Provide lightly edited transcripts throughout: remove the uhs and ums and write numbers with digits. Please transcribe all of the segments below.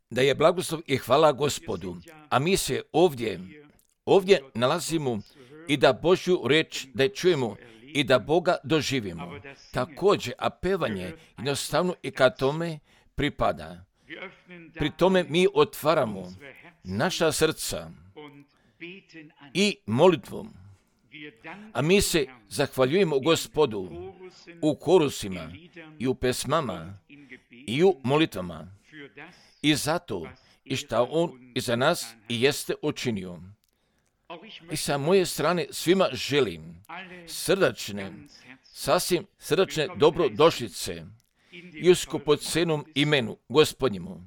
Da je blagoslov i hvala Gospodu. A mi se ovdje nalazimo i da Božju riječ da je čujemo i da Boga doživimo. Također, a pevanje jednostavno i kad tome pripada. Pri tome mi otvaramo naša srca i molitvom. A mi se zahvaljujemo Gospodu u korusima i u pesmama i u molitvama. I zato i šta On i za nas i jeste učinio. I sa moje strane svima želim sasvim srdačne dobrodošlice i u skupocenom imenu Gospodnjemu.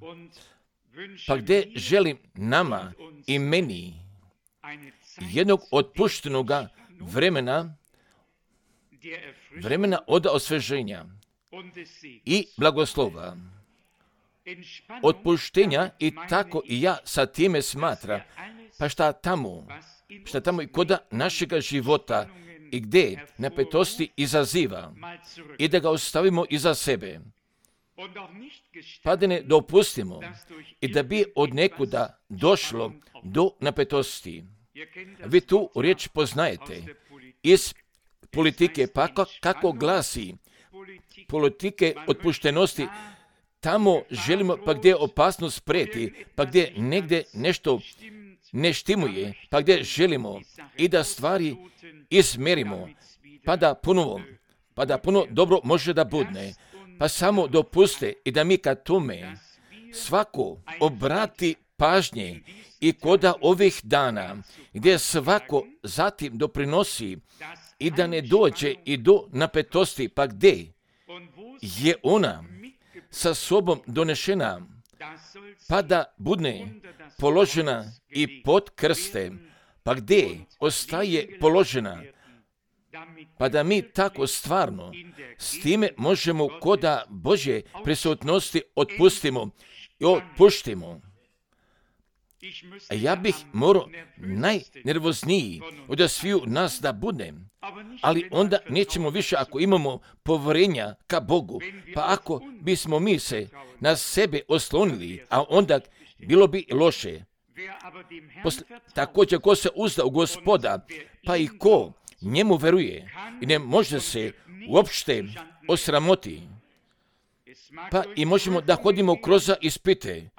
Pa gdje želim nama i meni jednog otpuštenoga vremena od osveženja i blagoslova, otpuštenja i tako i ja sa time smatra, pa šta tamo i koda našega života i gdje napetosti izaziva i da ga ostavimo iza sebe, pa da ne dopustimo i da bi od nekuda došlo do napetosti. Vi tu riječ poznajete iz politike, pa kako glasi politike otpuštenosti. Tamo želimo, pa gdje opasnost prijeti, pa gdje negdje nešto ne štimuje, pa gdje želimo i da stvari izmerimo, pa da puno dobro može da budne, pa samo dopuste i da mi kad tome svako obrati pažnje i koda ovih dana, gdje svako zatim doprinosi i da ne dođe i do napetosti, pa gdje je ona sa sobom donešena, pa da budne položena i pod krste, pa gdje ostaje položena, pa da mi tako stvarno s time možemo koda Božje prisutnosti otpustimo i otpuštimo. A ja bih morao najnervozniji od sviju nas da budem, ali onda nećemo više ako imamo povjerenja ka Bogu, pa ako bismo mi se na sebe oslonili, a onda bilo bi loše. Također ko se uzda u Gospoda, pa i ko njemu veruje i ne može se uopšte osramoti, pa i možemo da hodimo kroz ispite,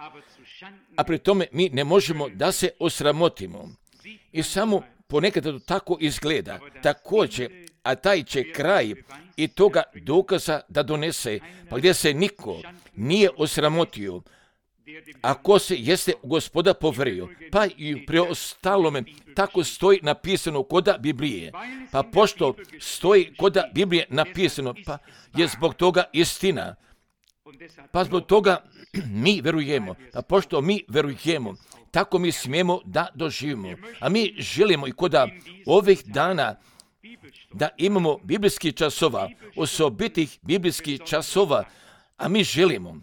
a pri tome mi ne možemo da se osramotimo. I samo ponekad to tako izgleda. Također, a taj će kraj i toga dokaza da donese, pa gdje se niko nije osramotio, ako se jeste Gospoda poverio, pa i pri ostalome tako stoji napisano koda Biblije. Pa pošto stoji koda Biblije napisano, pa je zbog toga istina. Pa zbog toga mi verujemo. A pošto mi verujemo, tako mi smijemo da doživimo. A mi želimo i koda ovih dana da imamo biblijskih časova, osobitih biblijskih časova, a mi želimo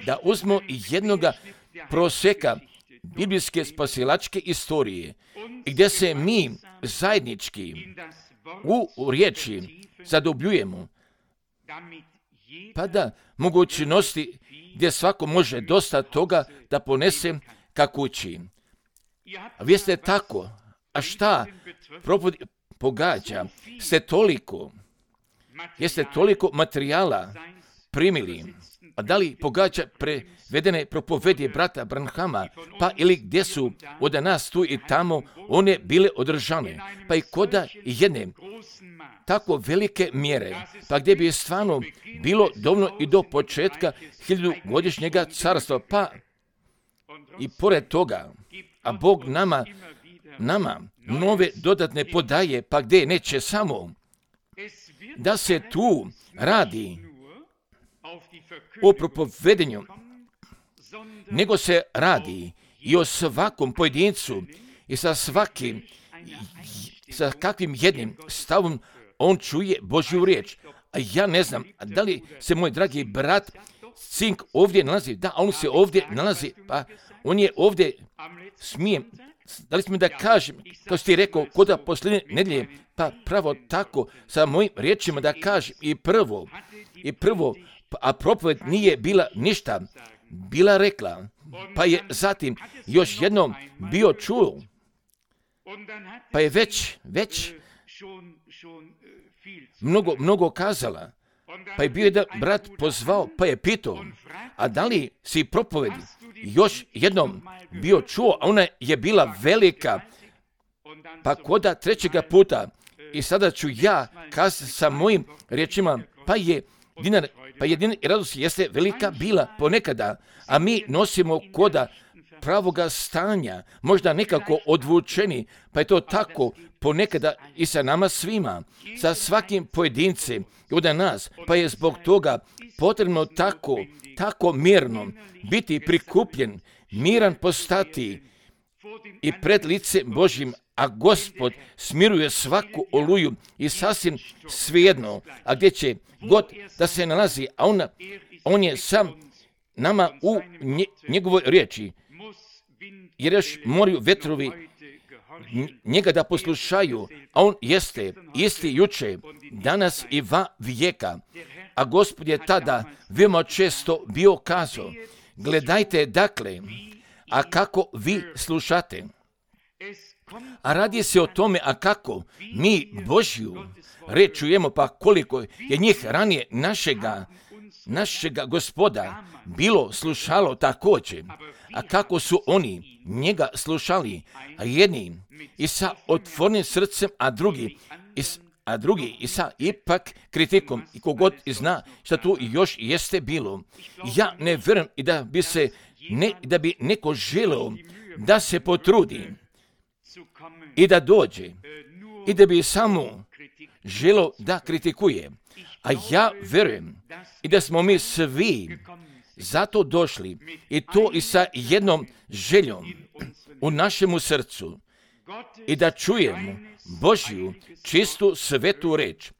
da uzmemo jednoga proseka biblijske spasilačke istorije, gdje se mi zajednički u riječi zadobljujemo, pa da mogućnosti gdje svako može dosta toga da ponese ka kući. A vi ste tako, a šta pogađa, jeste toliko materijala primili, a da li pogađa prevedene propovedje brata Branhama, pa ili gdje su od nas tu i tamo one bile održane, pa i koda jedne tako velike mjere, pa gdje bi stvarno bilo dovoljno i do početka 1000-godišnjega carstva, pa i pored toga, a Bog nama nove dodatne podaje, pa gdje neće samo da se tu radi o propovedenju, nego se radi i o svakom pojedincu i sa kakvim jednim stavom on čuje Božju riječ. A ja ne znam, da li se moj dragi brat Cink ovdje nalazi? Da, on se ovdje nalazi, pa on je ovdje, da li smijem da kažem, kao si ti rekao, koda posljednje nedjelje, pa pravo tako, sa mojim riječima da kažem, i prvo, a propoved nije bila ništa bila rekla, pa je zatim još jednom bio čuo, pa je već mnogo kazala, pa je bio jedan brat pozvao, pa je pitao, a da li si propovedi još jednom bio čuo, a ona je bila velika, pa koda trećega puta, i sada ću ja kazati sa mojim riječima, pa je dinar i radost jeste velika bila ponekada, a mi nosimo koda pravoga stanja, možda nekako odvučeni, pa je to tako ponekada i sa nama svima, sa svakim pojedincem od nas, pa je zbog toga potrebno tako mirno biti prikupljen, miran postati i pred lice Božjim, a Gospod smiruje svaku oluju i sasvim svejedno, a gdje će god da se nalazi, a on je sam nama u njegovoj riječi, jer još moraju vetrovi njega da poslušaju, a on jeste isti juče, danas i va vijeka. A Gospod je tada veoma često bio kazao, gledajte dakle, a kako vi slušate. A radi se o tome, a kako mi Božju reč čujemo, pa koliko je njih ranije našega Gospoda bilo slušalo također, a kako su oni njega slušali, a jedni i sa otvorenim srcem, a drugi i sa ipak kritikom, i kogod zna šta tu još jeste bilo. Ja ne vjerujem i da bi neko želeo da se potrudi i da dođe i da bi samo želeo da kritikuje. A ja vjerujem i da smo mi svi zato došli, i to i sa jednom željom u našemu srcu, i da čujemo Božju čistu svetu reč.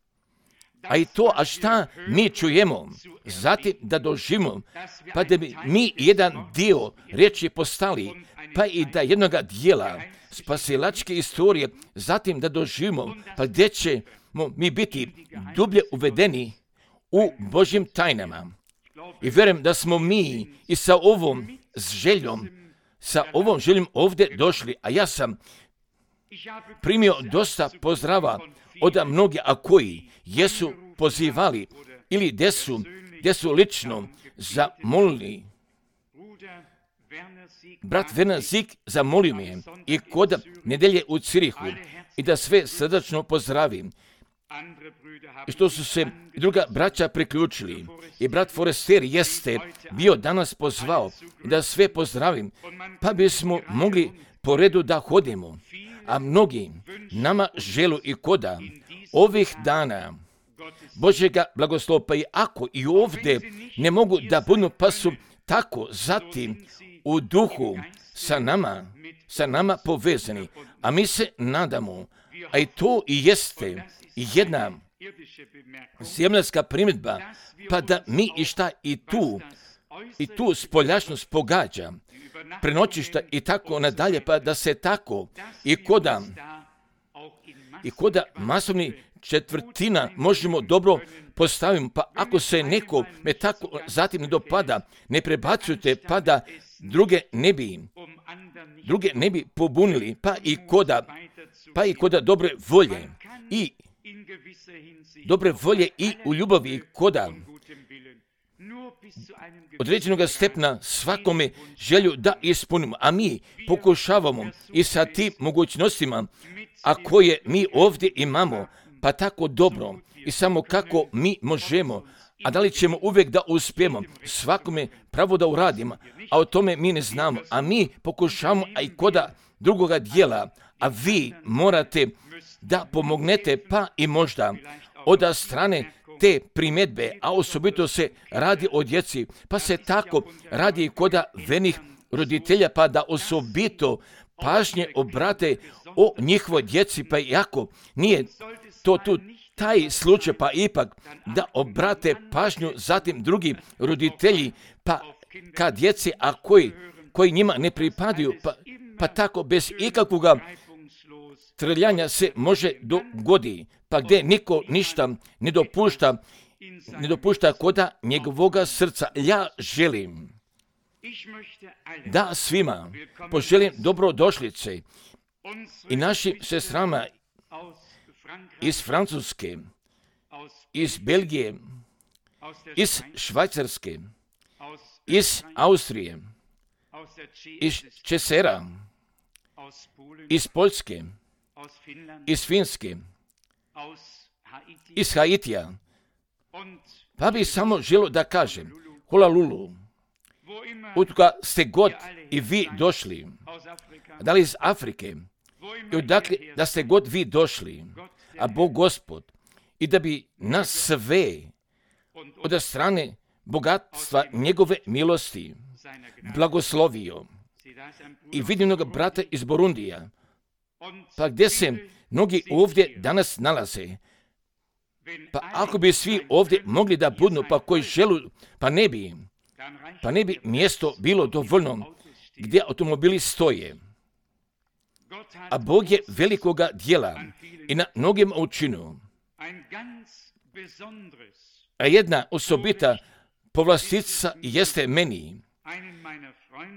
A i to, a šta mi čujemo, zatim da doživimo, pa da bi mi jedan dio riječi postali, pa i da jednoga dijela spasilačke istorije, zatim da doživimo, pa gdje ćemo mi biti dublje uvedeni u Božjim tajnama. I vjerujem da smo mi i sa ovom željom ovdje došli, a ja sam primio dosta pozdrava od mnogih, a koji jesu pozivali ili gdje su lično zamolili. Brat Werner Sieg zamolio me i kod nedelje u Cirihu i da sve srdačno pozdravim. I što su se druga braća priključili. I brat Forester jeste bio danas pozvao da sve pozdravim, pa bismo mogli po redu da hodimo. A mnogi nama želu i koda ovih dana Božjega blagoslova, pa i ako i ovdje ne mogu da budu, pa su tako zatim u duhu sa nama povezani. A mi se nadamo, a i to i jeste jedna zemaljska primjedba, pa da mi i tu spoljašnost pogađa, prenoćišta i tako nadalje, pa da se tako i koda masovni četvrtina možemo dobro postaviti, pa ako se neko me tako zatim ne dopada, ne prebacujte, pa da druge ne bi pobunili, pa i koda dobre volje i u ljubavi koda određenog stepna svakome želju da ispunimo, a mi pokušavamo i sa tim mogućnostima, a koje mi ovdje imamo, pa tako dobro i samo kako mi možemo, a da li ćemo uvijek da uspijemo svakome pravo da uradimo, a o tome mi ne znamo, a mi pokušamo, a i koda drugoga dijela, a vi morate da pomognete, pa i možda od strane te primjedbe, a osobito se radi o djeci, pa se tako radi i koda venih roditelja, pa da osobito pažnje obrate o njihovoj djeci, pa iako nije to tu taj slučaj, pa ipak da obrate pažnju zatim drugi roditelji, pa kad djeci, a koji njima ne pripadaju, pa tako bez ikakvog trljanja se može dogodi, pa gdje niko ništa ne dopušta koda njegovoga srca. Ja želim da svima poželim dobrodošlice i našim sestrama iz Francuske, iz Belgije, iz Švajcarske, iz Austrije, iz Česera, iz Poljske, iz Finske, iz Haitija. Pa bi samo želio da kažem, Holalulu, odkuda ste god i vi došli, da li iz Afrike, i odakle da ste god vi došli, a Bog Gospod, i da bi nas sve od strane bogatstva njegove milosti blagoslovio. I vidim mnogo brata iz Burundija, pa gdje se mnogi ovdje danas nalaze, pa ako bi svi ovdje mogli da budu, pa koji želu, pa ne bi mjesto bilo dovoljno gdje automobili stoje. A Bog je velikoga djela i na mnogim učinu. A jedna osobita povlastica jeste meni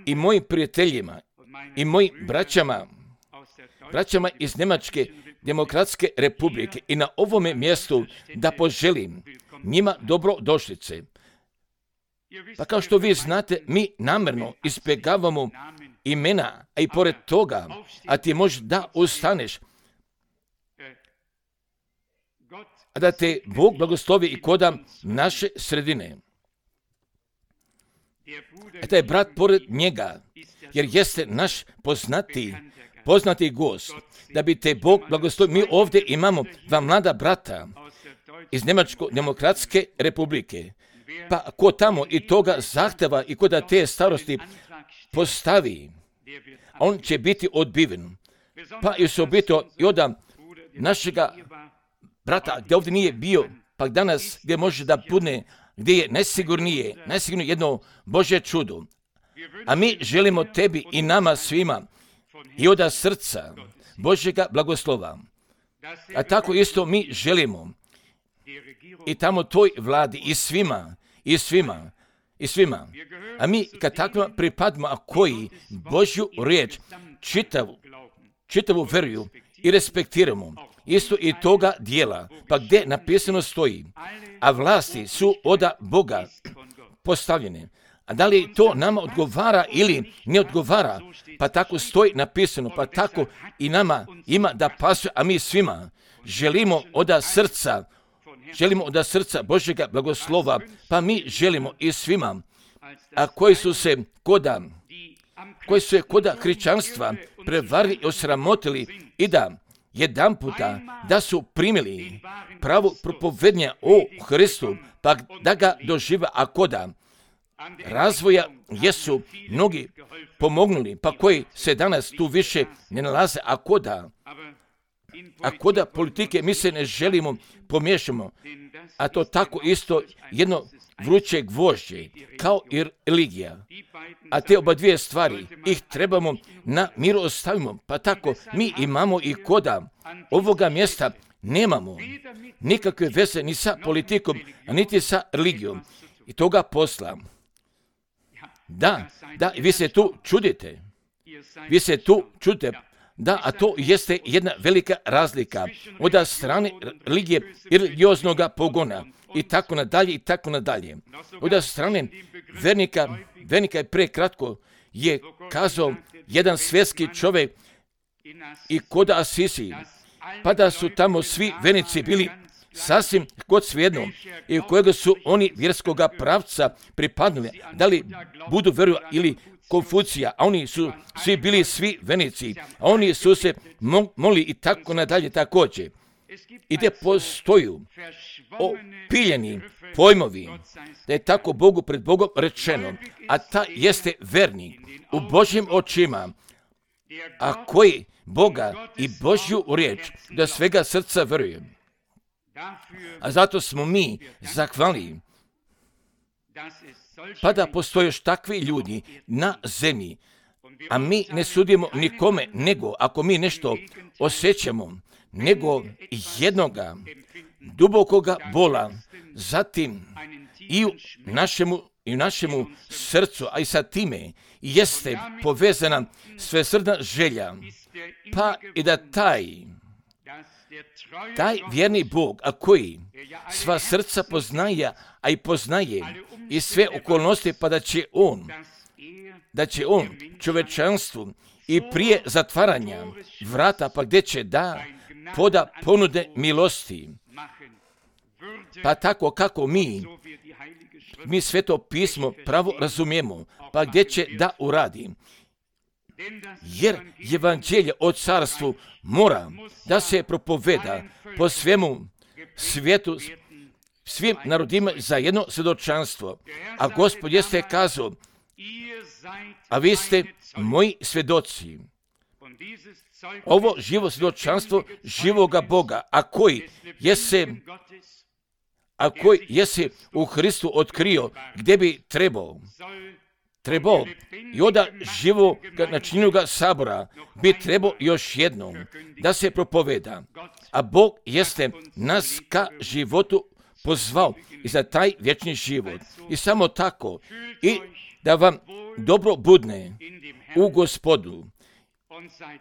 i mojim prijateljima i mojim braćama iz Njemačke demokratske republike i na ovome mjestu da poželim njima dobrodošlice. Pa kao što vi znate, mi namjerno izbjegavamo imena, a i pored toga, a ti možeš da ustaneš, a da te Bog blagoslovi i koda naše sredine. A taj brat pored njega, jer jeste naš poznati gost, da bi te Bog blagoslovio. Mi ovdje imamo dva mlada brata iz Njemačke demokratske republike. Pa ko tamo i toga zahteva i ko da te starosti postavi, on će biti odbiven. Pa i osobito i od našega brata gdje ovdje nije bio, pa danas gdje može da bude, gdje je najsigurnije jedno Božje čudo. A mi želimo tebi i nama svima i od srca Božjega blagoslova. A tako isto mi želimo i tamo toj vladi i svima. A mi kad takvima pripadamo, a koji Božju riječ čitavu veruju i respektiramo, isto i toga dijela, pa gdje napisano stoji, a vlasti su od Boga postavljene. A da li to nama odgovara ili ne odgovara, pa tako stoji napisano, pa tako i nama ima da pasuje, a mi svima želimo od srca Božjega blagoslova, pa mi želimo i svima, a koji su se koda hrišćanstva prevarili i osramotili i da jedanputa da su primili pravo propovednja o Hristu, pa da ga doživa, a koda razvoja jesu mnogi pomognuli, pa koji se danas tu više ne nalaze, a koda politike mi se ne želimo pomiješamo, a to tako isto jedno vruće gvožđe, kao i religija. A te oba dvije stvari, ih trebamo na miru ostavimo, pa tako mi imamo i koda ovoga mjesta nemamo nikakve veze ni sa politikom, niti sa religijom i toga posla. Da, vi se tu čudite. Da, a to jeste jedna velika razlika od strane religije i religioznog pogona i tako nadalje. Od strane vernika je prekratko je kazao jedan svjetski čovjek i kod Asisi, pa da su tamo svi vernici bili sasvim kod svejedno i u kojega su oni vjerskoga pravca pripadnuli, da li budu veru ili Konfucija, a oni su svi bili svi vernici, a oni su se molili i tako nadalje također. I gdje postoju opiljeni pojmovi, da je tako Bogu pred Bogom rečeno, a ta jeste vernik u Božjim očima, a koji Boga i Božju riječ da svega srca veruje. A zato smo mi zahvalni, pa da postoje još takvi ljudi na zemlji, a mi ne sudimo nikome, nego ako mi nešto osjećamo, nego jednoga dubokoga bola, zatim i u našemu i u našemu srcu, a i sa time jeste povezana svesrdna želja, pa i da taj vjerni Bog, a koji sva srca poznaje, a i poznaje i sve okolnosti, pa da će on čovečanstvu i prije zatvaranja vrata, pa gdje će poda ponude milosti, pa tako kako mi Sveto pismo pravo razumijemo, pa gdje će da uradi. Jer evanđelje o carstvu mora da se propoveda po svemu svijetu, svim narodima za jedno svjedočanstvo. A Gospod jeste kazao, a vi ste moji svjedoci. Ovo živo svjedočanstvo živoga Boga, a koji jesi u Hristu otkrio gdje bi trebao i od živog načinjenog sabora bi trebao još jednom da se propoveda. A Bog jeste nas ka životu pozvao i za taj vječni život. I samo tako, i da vam dobro budne u Gospodu.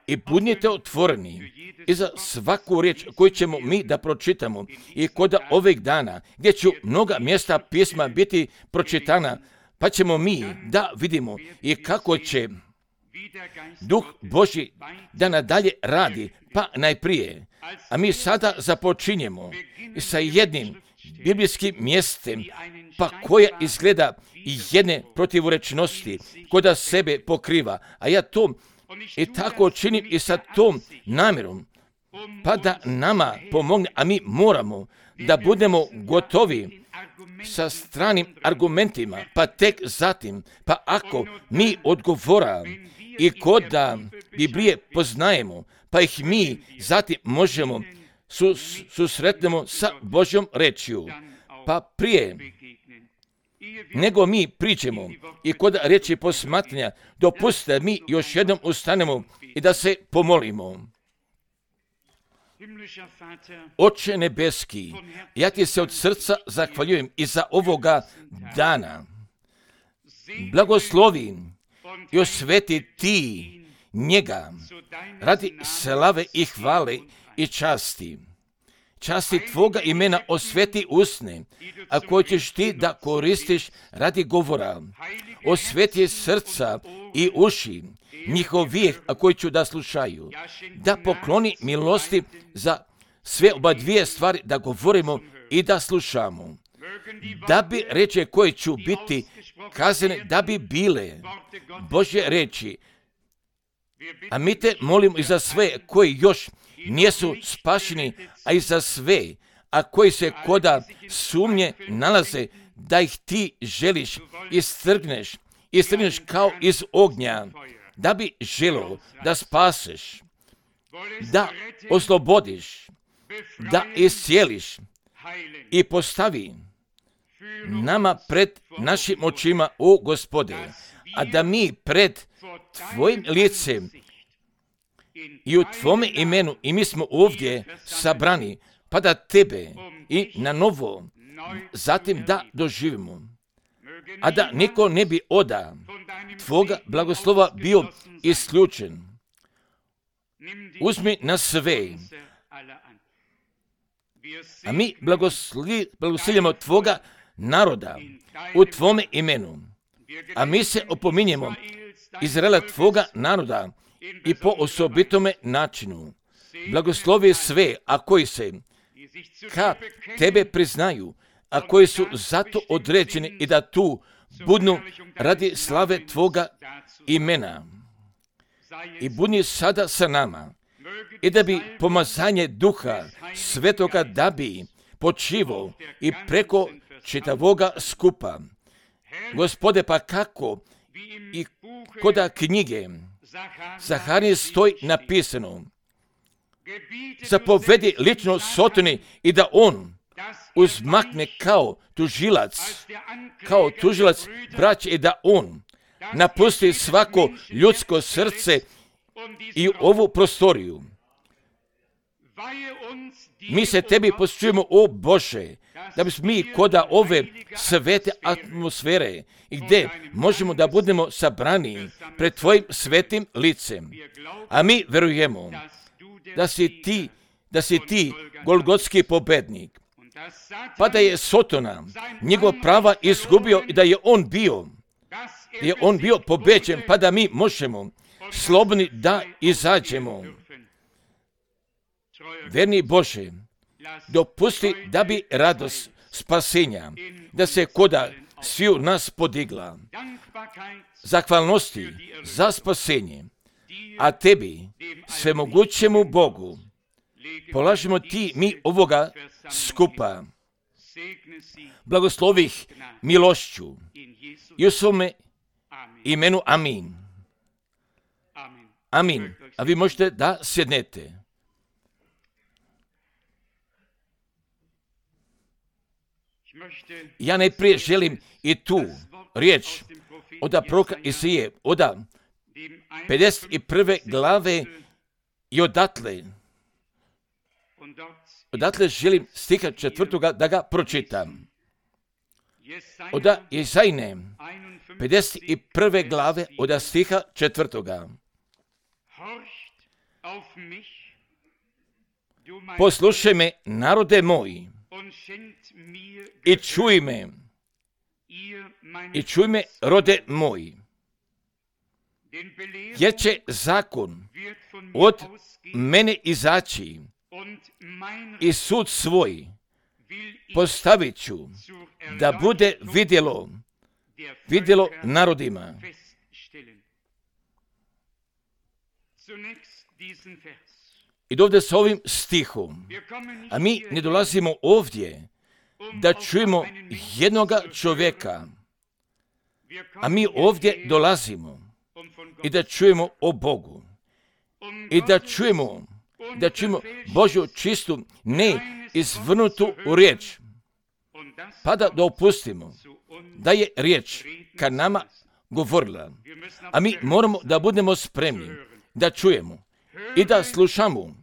I budnite otvoreni i za svaku riječ koju ćemo mi da pročitamo i kod ovih dana gdje će mnoga mjesta pisma biti pročitana, pa ćemo mi da vidimo i kako će Duh Božji da nadalje radi, pa najprije. A mi sada započinjemo sa jednim biblijskim mjestem, pa koja izgleda jedne protivrečnosti, koda sebe pokriva. A ja to i tako činim i sa tom namjerom, pa da nama pomogne, a mi moramo da budemo gotovi sa stranim argumentima, pa tek zatim, pa ako mi odgovora i koda Biblije poznajemo, pa ih mi zatim možemo susretnemo sa Božjom rečju, pa prije nego mi priđemo i kod riječi posmatranja, dopustite da mi još jednom ustanemo i da se pomolimo. Oče nebeski, ja ti se od srca zahvaljujem i za ovoga dana. Blagoslovim i osveti ti njega radi slave i hvale i časti. Časti tvoga imena osveti usne, a koje ćeš ti da koristiš radi govora. Osveti srca i uši njihovih, a koji ću da slušaju. Da pokloni milosti za sve oba dvije stvari, da govorimo i da slušamo. Da bi reči koje ću biti kazane, da bi bile Božje reči. A mi te molimo i za sve koji još nisu spašeni, a i za sve, a koji se koda sumnje nalaze, da ih ti želiš istrgneš kao iz ognja, da bi želio da spaseš, da oslobodiš, da iscijeliš i postavi nama pred našim očima, o Gospode, a da mi pred tvojim licem i u tvome imenu, i mi smo ovdje sabrani, pa da tebe i na novo zatim da doživimo, a da niko ne bi oda tvoga blagoslova bio isključen. Uzmi na sve, a mi blagoslovljamo tvoga naroda u tvome imenu, a mi se opominjemo Izraela tvoga naroda i po osobitome načinu. Blagoslovi sve, a koji se ka tebe priznaju, a koji su zato određeni i da tu budnu radi slave tvoga imena. I budni sada sa nama i da bi pomazanje Duha Svetoga da bi počivao i preko čitavoga skupa. Gospode, pa kako i koda knjige Zaharije stoji napisano, zapovedi lično Sotoni i da on uzmakne kao tužilac braće i da on napusti svako ljudsko srce i ovu prostoriju. Mi se tebi posvećujemo, o Bože, da bismo mi koda ove svete atmosfere i gdje možemo da budemo sabrani pred tvojim svetim licem. A mi verujemo da si ti golgotski pobednik, pa da je Sotona njegov prava izgubio i da je on bio pobeđen, pa da mi možemo slobodni da izađemo. Verni Bože, dopusti da bi radost spasenja, da se koda sviju nas podigla. Zahvalnosti za spasenje, a tebi, svemogućemu Bogu, polažemo ti mi ovoga skupa. Blagoslovih milošću i u svome imenu amin. Amin. A vi možete da sjednete. Ja najprije želim i tu riječ od proroka Isaije, od 51. glave i odatle želim stiha 4. da ga pročitam. Od Isajine 51. glave od stiha 4. Poslušaj me, narode moji, i čuj me, rode moji, jer će zakon od mene izaći i sud svoj postavit ću da bude vidjelo narodima. I ovdje s ovim stihom, a mi ne dolazimo ovdje da čujemo jednoga čovjeka, a mi ovdje dolazimo i da čujemo o Bogu i da čujemo Božju čistu, ne izvrnutu riječ, pa da dopustimo da je riječ ka nama govorila, a mi moramo da budemo spremni da čujemo i da slušamo.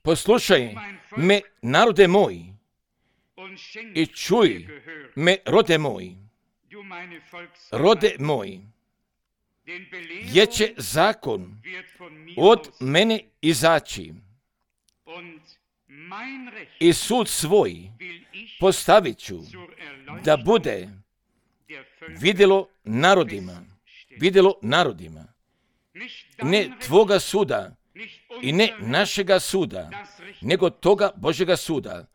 Poslušaj me, narode moji, i čuj me, rode moji, jer će zakon od mene izaći i sud svoj postavit ću da bude vidjelo narodima. Ne tvoga suda i ne našega suda, nego toga Božjega suda.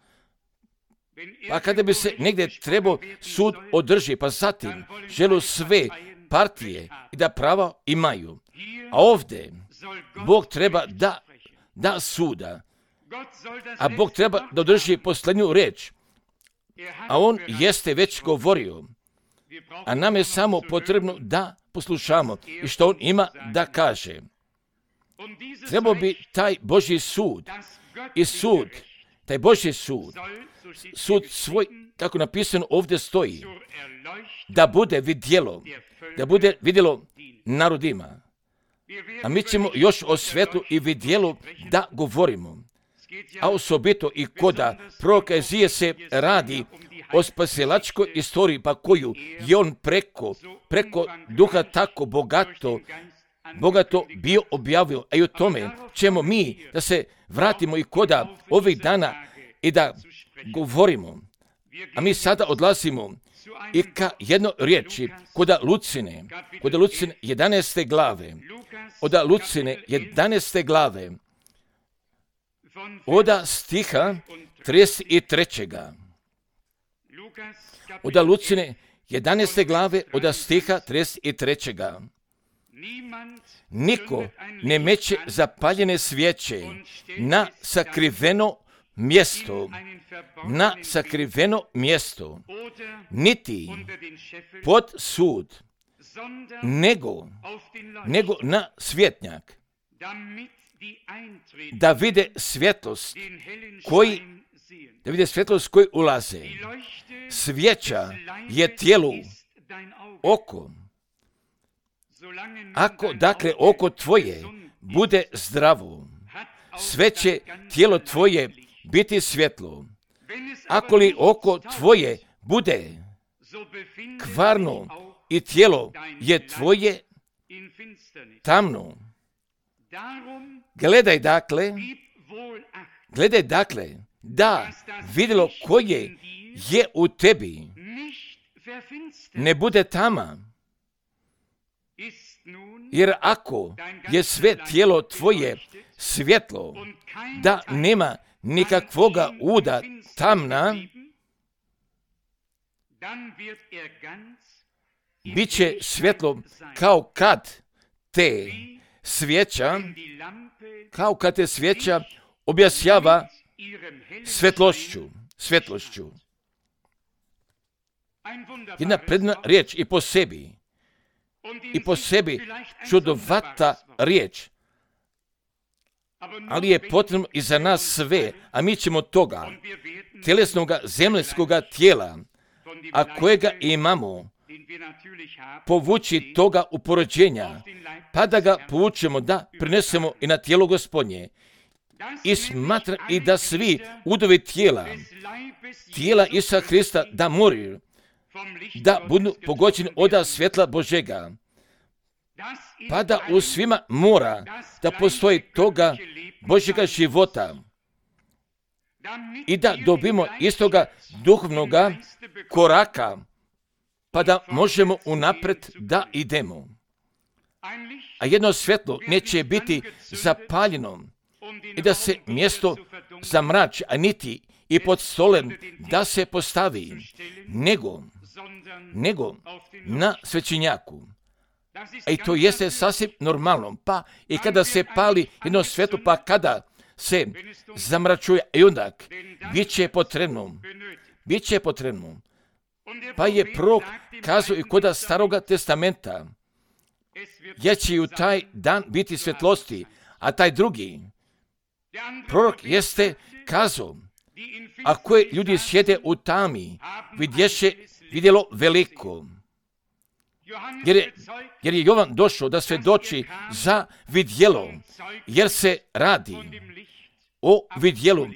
Pa kada bi se negdje trebao sud održi, pa zatim želu sve partije i da prava imaju. A ovdje Bog treba da suda, a Bog treba da održi posljednju riječ. A on jeste već govorio, a nam je samo potrebno da poslušamo i što on ima da kaže. Trebao bi taj Božji sud i taj Božji sud svoj, kako napisano ovdje stoji, da bude vidjelo narodima. A mi ćemo još o svetlu i vidjelu da govorimo. A osobito i koda proroka Izije se radi o spasilačkoj istoriji, pa koju je on preko duha tako bogato bio objavio. A i o tome ćemo mi da se vratimo i koda ovih dana i da govorimo. A mi sada odlazimo i ka jednoj riječi koda Lucine 11. glave. Od Lucine 11. glave. Od stiha 33. Od Lucine 11. glave od stiha 33. Niko ne meće zapaljene svijeće na sakriveno mjesto, niti pod sud, nego na svjetnjak, da vide svjetlost koji ulaze. Svijeća je tijelu oko. Ako dakle oko tvoje bude zdravo, sve će tijelo tvoje biti svjetlo. Ako li oko tvoje bude kvarno i tijelo je tvoje tamno. Gledaj dakle, da vidjelo koje je u tebi ne bude tama. Jer ako je sve tijelo tvoje svjetlo, da nema nikakvoga uda tamna, bit će svjetlo kao kad te svijeća objašnjava svjetlošću. Jedna predna riječ i po sebi čudovata riječ, ali je potrebno i za nas sve, a mi ćemo toga tjelesnoga zemaljskoga tijela, a kojega imamo, povući toga uporođenja, pa da ga povučemo, da prinesemo i na tijelo Gospodnje. I smatra i da svi udovi tijela Isusa Hrista da moraju, da budu pogođeni od svjetla Božega, pa da u svima mora da postoji toga Božjega života i da dobimo istoga duhovnoga koraka, pa da možemo unapred da idemo. A jedno svjetlo neće biti zapaljeno i da se mjesto zamrači, a niti i pod stolem da se postavi, nego na svećenjaku. A i to jeste sasvim normalno. Pa i kada se pali jedno svjetlo, pa kada se zamračuje, i onda bit će potrebno. Pa je prorok kazao i kod Staroga testamenta, jer će u taj dan biti svjetlosti, a taj drugi prorok jeste kazao, a koje ljudi sjede u tami, vidjelo veliko. Jer je Jovan došao da svjedoči za vidjelo, jer se radi o vidjelu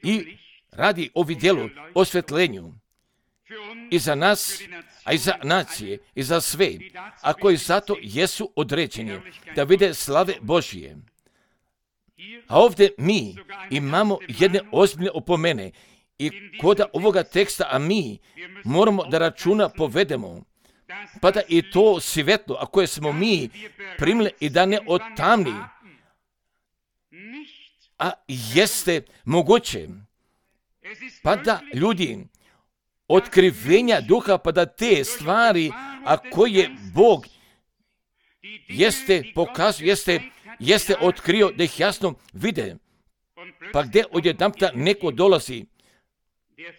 i radi o vidjelu, osvjetljenju i za nas, a i za nacije, i za sve, a koji zato jesu određeni da vide slave Božije. A ovdje mi imamo jedne ozbiljne opomene i kod ovoga teksta, a mi moramo da računa povedemo, pa da i to svjetlo, a koje smo mi primili i da ne otamni, a jeste moguće, pa da ljudi otkrivenja duha, pa da te stvari, a koje Bog jeste pokazao, jeste otkrio da ih jasno vide, pa gdje odjedanputa neko dolazi,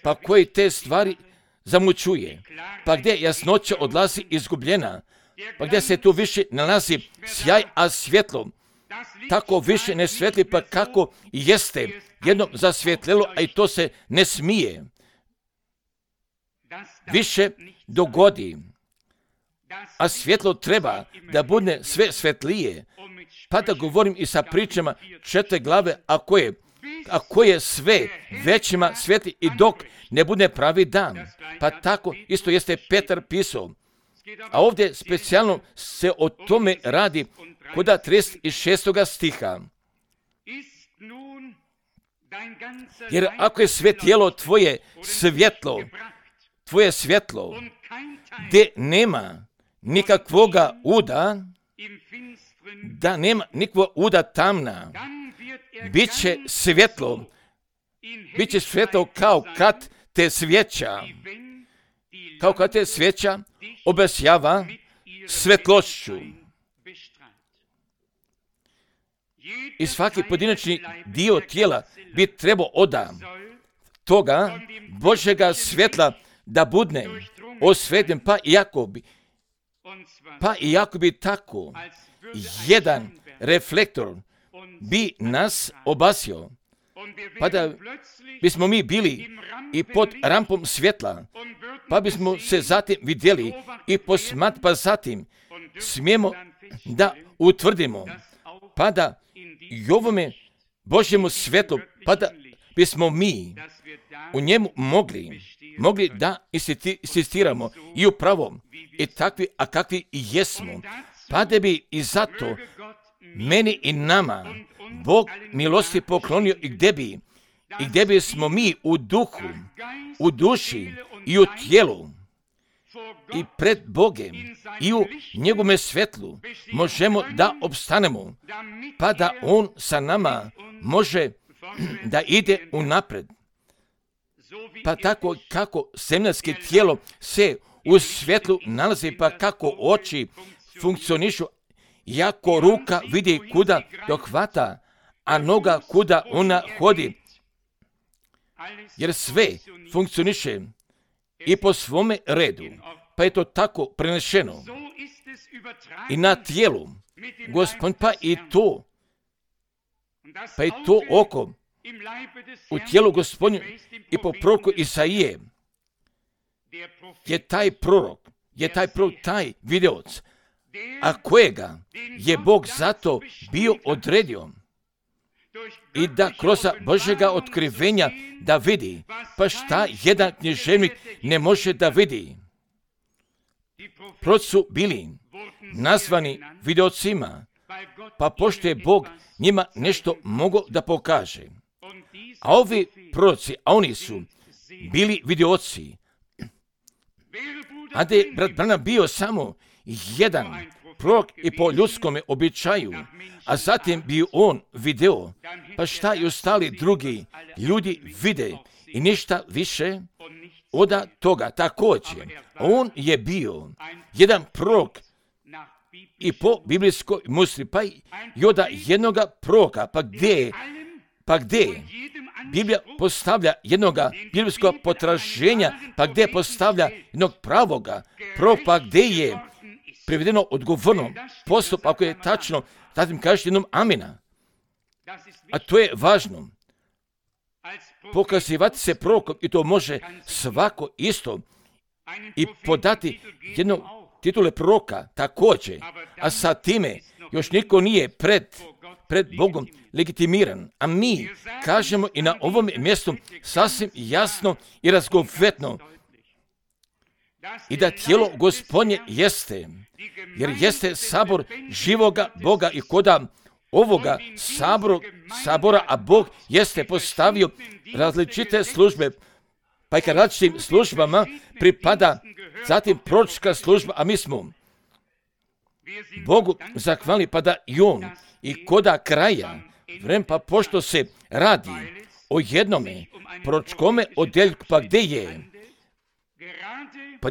pa koji te stvari zamućuje, pa gdje jasnoća odlazi izgubljena, pa gdje se tu više nalazi sjaj, a svjetlo tako više ne svetli, pa kako jeste jednom zasvjetlelo, a i to se ne smije više dogodi. A svjetlo treba da bude sve svetlije, pa da govorim i sa pričama 4 glave, a koje sve većima svetli i dok ne bude pravi dan. Pa tako isto jeste Petar pisao. A ovdje specijalno se o tome radi kod 36. stiha. Jer ako je sve tijelo tvoje svjetlo, gdje nema nikakvoga uda, da nema nikakvog uda tamna, bit će svjetlo kao kad te svijeća obasjava svjetlošću. I svaki pojedinačni dio tijela bi trebao od toga Božjega svjetla da budne osvetljen, pa iako bi tako jedan reflektor bi nas obasio, pa da bismo mi bili i pod rampom svjetla, pa bismo se zatim vidjeli i pa zatim smijemo da utvrdimo, pa da i ovome Božjemu svjetlu, pa da bismo mi u njemu mogli da insistiramo i u pravom i takvi, a kakvi i jesmo, pa da bi i zato meni i nama Bog milosti poklonio i gdje bismo mi u duhu, u duši i u tijelu i pred Bogem i u njegovome svjetlu možemo da opstanemo, pa da On sa nama može da ide unapred. Pa tako kako zemljansko tijelo se u svjetlu nalazi, pa kako oči funkcionišu, jako ruka vidi kuda dohvata, a noga kuda ona hodi, jer sve funkcioniše i po svome redu, pa je to tako prenešeno i na tijelu. Gospod, pa i to oko u tijelu Gospodnju i po proroku Isaije je taj prorok, taj videoc, a kojega je Bog zato bio odredio i da kroz Božjega otkrivenja da vidi, pa šta jedan književnik ne može da vidi. Proroci su bili nazvani videocima, pa pošto je Bog njima nešto mogao da pokaže. A ovi proroci, a oni su bili videoci, a da je brat Branham bio samo jedan prorok i po ljudskome običaju, a zatim bi on video, pa šta i ostali drugi ljudi vide i ništa više od toga. Također, on je bio jedan prorok i po biblijskoj musli, pa i od jednoga proroka, pa gdje Biblija postavlja jednoga biblijskog potraženja, pa gdje postavlja jednog pravoga proroka, pa gdje je privedeno odgovorno postup, ako je tačno, zatim kažete jednom amina. A to je važno. Pokazivati se prorokom, i to može svako isto, i podati jednu titule proroka također, a sa time još niko nije pred Bogom legitimiran. A mi kažemo i na ovom mjestu sasvim jasno i razgovetno i da tijelo Gospodnje jeste, jer jeste sabor živoga Boga i koda ovoga sabora, a Bog jeste postavio različite službe, pa i kad različitim službama pripada zatim proročka služba, a mi smo Bogu zahvalni, pa da i On i koda kraja vremena, pa pošto se radi o jednome proročkome odjeljku, pa gdje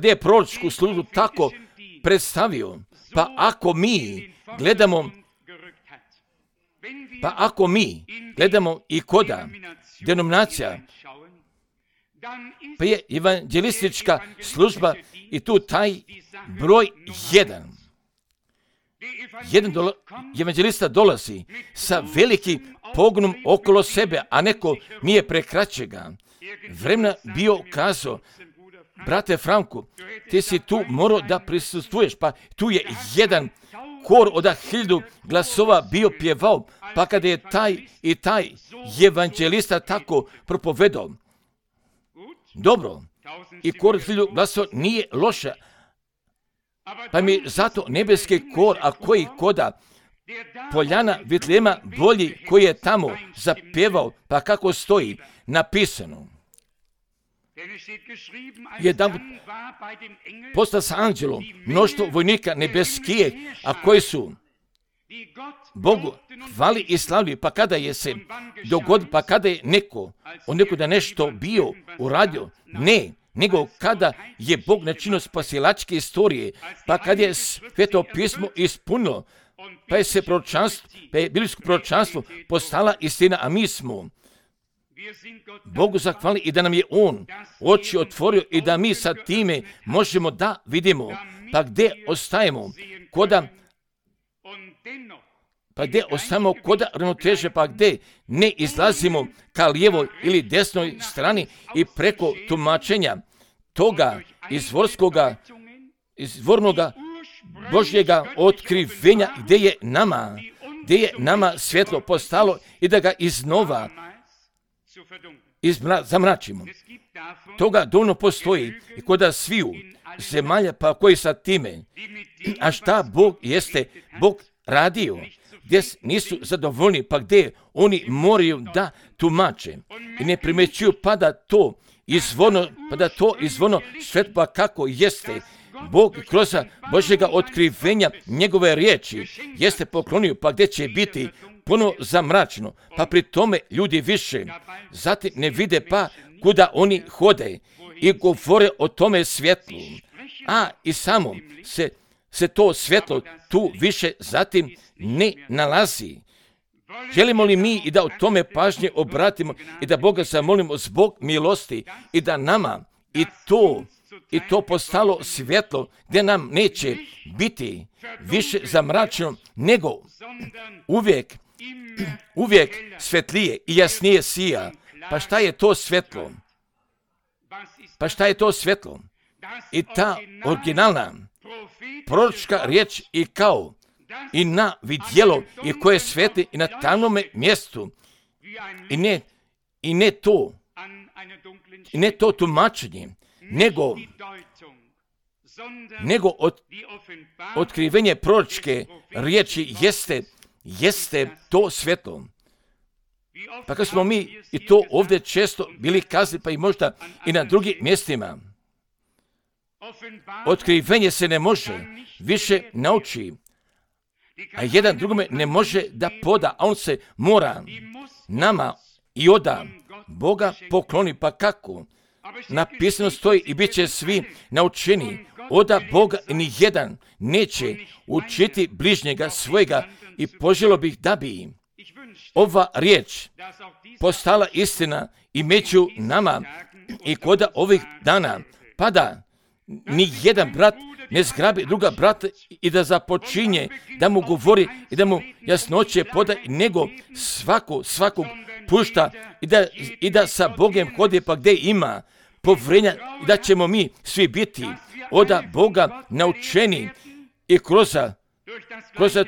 je proročku službu tako predstavio, pa ako mi gledamo i koda denominacija, pa je evanđelistička služba i tu taj broj jedan evanđelista dolazi sa velikim pogonom okolo sebe, a neko nije prekraće ga. Vremena bio kazao, brate Franku, ti si tu morao da prisustvuješ, pa tu je jedan kor od 1000 glasova bio pjevao, pa kada je taj evanđelista tako propovedao. Dobro, i kor od 1000 glasova nije loša, pa mi zato nebeski kor, a koji koda Poljana Vitlema bolji, koji je tamo zapjevao, pa kako stoji napisano. Jedan postao sa anđelom mnoštvo vojnika nebeskije, a koji su Bogu hvali i slavili, pa kada je se dogodilo, pa kada je neko da nešto bio uradio, nego kada je Bog načinio spasilačke istorije, pa kada je Sveto pismo ispunilo, pa je biblijsko proročanstvo postala istina, a mi smo Bogu zahvalili i da nam je On oči otvorio i da mi sa time možemo da vidimo, pa gdje ostajemo koda ravnoteže, pa gdje ne izlazimo ka lijevoj ili desnoj strani i preko tumačenja toga izvornoga Božjega otkrivenja, gdje gdje je nama svjetlo postalo i da ga iznova zamračimo. Toga dovoljno postoji i kod sviju zemalja pa koji sa time. A šta Bog jeste Bog radio, gdje nisu zadovoljni, pa gdje oni moraju da tumače i ne primećuju pa da to izvorno svetlo kako jeste. Bog kroz Božjega otkrivenja njegove riječi jeste poklonio, pa gdje će biti puno zamračeno, pa pri tome ljudi više zatim ne vide pa kuda oni hode i govore o tome svjetlu, a i samo se to svjetlo tu više zatim ne nalazi. Želimo li mi i da o tome pažnje obratimo i da Boga zamolimo zbog milosti i da nama i to postalo svjetlo gdje nam neće biti više zamračeno, nego uvijek svetlije i jasnije sija. Pa šta je to svjetlo? I ta originalna proročka riječ i kao i na vidjelo i koje svetli i na tamnome mjestu i ne to tumačenje, nego otkrivenje proročke riječi jeste to svjetlo. Pa kad smo mi i to ovdje često bili kazali, pa i možda i na drugim mjestima, otkrivenje se ne može više nauči, a jedan drugome ne može da poda, a on se mora nama i oda Boga pokloni. Pa kako? Napisano stoji i bit će svi naučeni. Oda Boga ni jedan neće učiti bližnjega svojega i poželio bih da bi ova riječ postala istina i među nama i kod ovih dana, pa da ni jedan brat ne zgrabi druga brata i da započinje da mu govori i da mu jasnoće poda, nego svakog pušta i da sa Bogem hodi pa gdje ima povrenja i da ćemo mi svi biti od Boga naučeni i kroz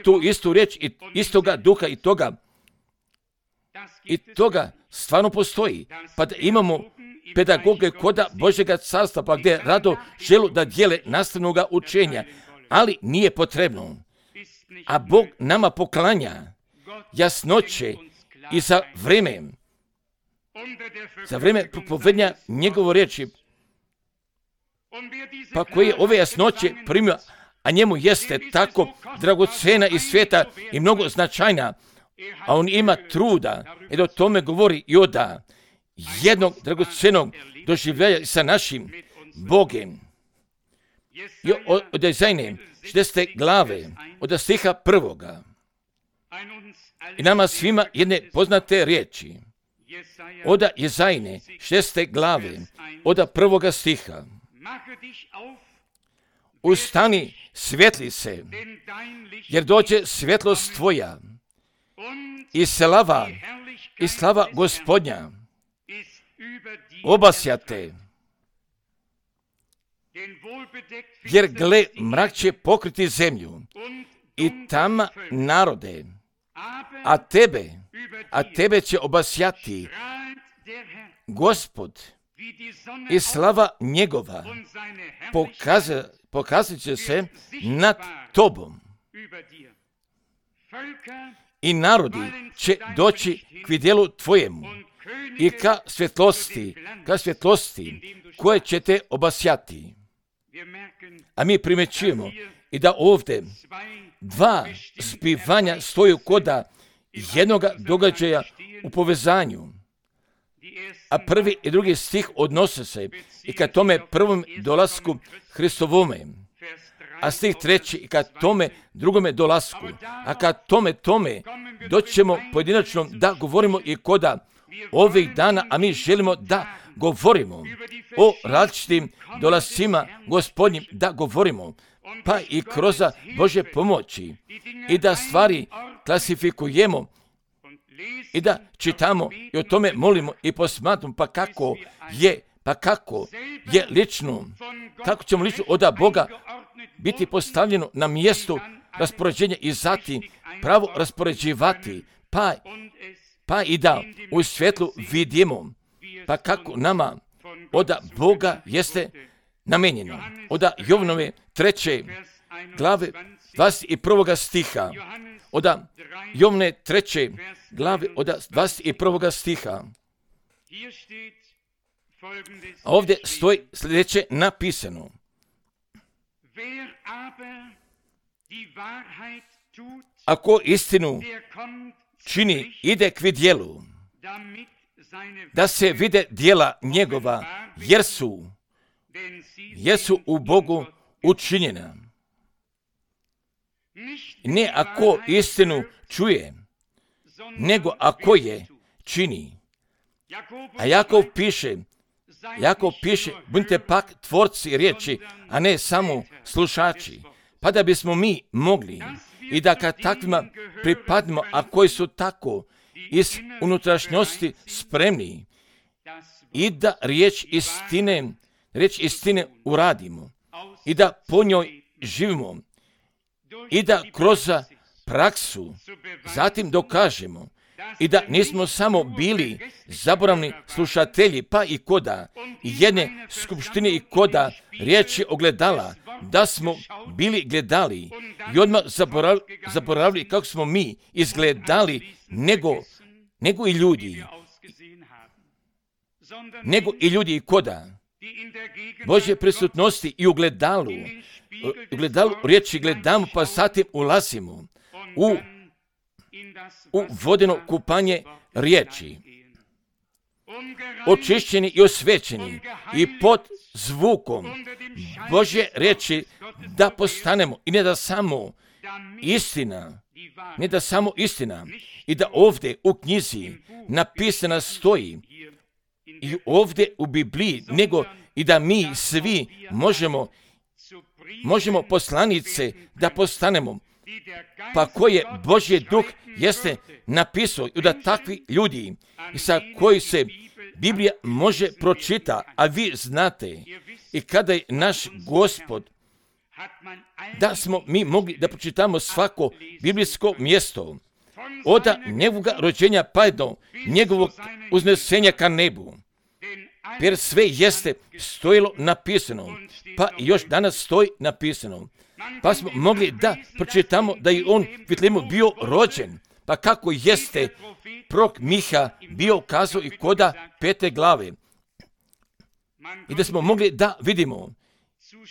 tu istu riječ i istoga duha i toga stvarno postoji. Pa da imamo pedagoge koda Božjega carstva, pa gdje rado želu da dijele nastavnoga učenja, ali nije potrebno. A Bog nama poklanja jasnoće i za vrijeme propovednja njegove riječi, pa koji je ove jasnoće primio, a njemu jeste tako dragocena i sveta i mnogo značajna, a on ima truda i da o tome govori i oda jednog dragocenog doživljaja sa našim Bogem. I od Jezajne 60. glave, od stiha 1. I nama svima jedne poznate riječi. Od Jezajne 60. glave, od 1. stiha. Ustani, svijetli se, jer dođe svjetlost tvoja i slava Gospodnja obasjate, jer gle, mrak će pokriti zemlju i tama narode, a tebe će obasjati Gospod i slava njegova pokazat će se nad tobom. I narodi će doći k vidjelu tvojemu i ka svjetlosti koje će te obasjati. A mi primećujemo i da ovdje dva zbivanja stoju koda jednoga događaja u povezanju. A prvi i drugi stih odnose se i ka tome prvom dolasku Hristovome. A stih treći i ka tome drugome dolasku. A ka tome doći ćemo pojedinačno da govorimo i koda ovih dana, a mi želimo da govorimo o različitim dolascima Gospodnjim, da govorimo, pa i kroz Božje pomoći i da stvari klasifikujemo i da čitamo i o tome molimo i posmatramo, pa kako je lično, kako ćemo lično od Boga biti postavljeno na mjestu raspoređenja i zatim pravo raspoređivati, pa i da u svjetlu vidimo, pa kako nama od Boga jeste namenjeno. Od Jovnove 3. glave 21. stiha. Od Jovne 3. glave od 21. stiha. A ovdje stoji sljedeće napisano. Ako istinu čini, ide k vidjelu, da se vide djela njegova, jer su u Bogu učinjena. Ne ako istinu čuje, nego ako je čini. A Jakov piše, budite pak tvorci riječi, a ne samo slušači, pa da bismo mi mogli i da kad takvima pripadimo, a koji su tako iz unutrašnjosti spremni i da riječ istine uradimo i da po njoj živimo i da kroz praksu zatim dokažemo i da nismo samo bili zaboravni slušatelji, pa i koda jedne skupštine i koda riječi ogledala, da smo bili gledali i odmah zaboravili kako smo mi izgledali, nego i ljudi i koda Božje prisutnosti i ugledalu riječi gledamo, pa zatim ulazimo u vodeno kupanje riječi, očišćeni i osvećeni i pod zvukom Božje riječi da postanemo i ne da samo istina i da ovdje u knjizi napisana stoji i ovdje u Bibliji, nego i da mi svi možemo poslanice da postanemo, pa koje Božje duh jeste napisao i da takvi ljudi sa koji se Biblija može pročita, a vi znate i kada je naš Gospod da smo mi mogli da pročitamo svako biblijsko mjesto od njegovoga rođenja pa do njegovog uznesenja ka nebu, jer sve jeste stojilo napisano, pa još danas stoji napisano. Pa smo mogli da pročitamo da je on Vitlemu bio rođen, pa kako jeste prorok Miha bio kazao i koda 5. glave. I da smo mogli da vidimo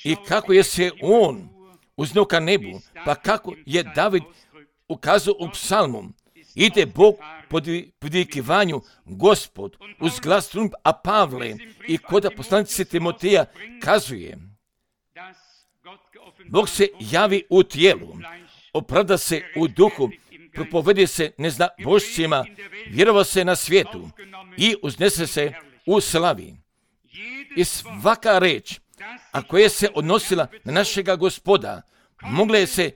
i kako je se on uzneo ka nebu, pa kako je David ukazao u psalmu. Ide Bog po vidikivanju Gospod uz glas trumbe, a Pavle i koda poslanice Timoteja kazuje: Bog se javi u tijelu, opravda se u duhu, propovedi se neznabošcima, vjerova se na svijetu i uznese se u slavi. I svaka reč, a koja se odnosila na našega Gospoda, mogla je se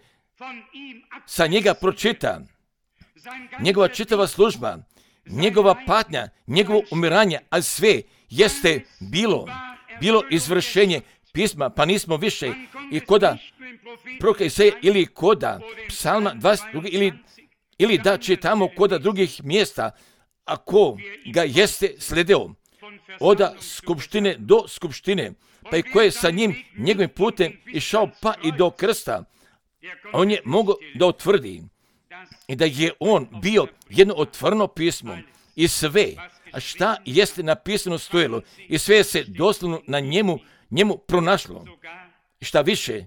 sa njega pročita. Njegova čitava služba, njegova patnja, njegovo umiranje, a sve jeste bilo izvršenje pisma, pa nismo više i koda proroka Isaije ili koda psalma 22 ili da čitamo koda drugih mjesta, ako ga jeste sledeo od skupštine do skupštine, pa i ko je sa njim njegovim putem išao pa i do krsta, on je mogao da utvrdi i da je on bio jedno otvoreno pismo i sve, a šta jeste napisano stojilo i sve se doslovno na njemu pronašlo. Šta više,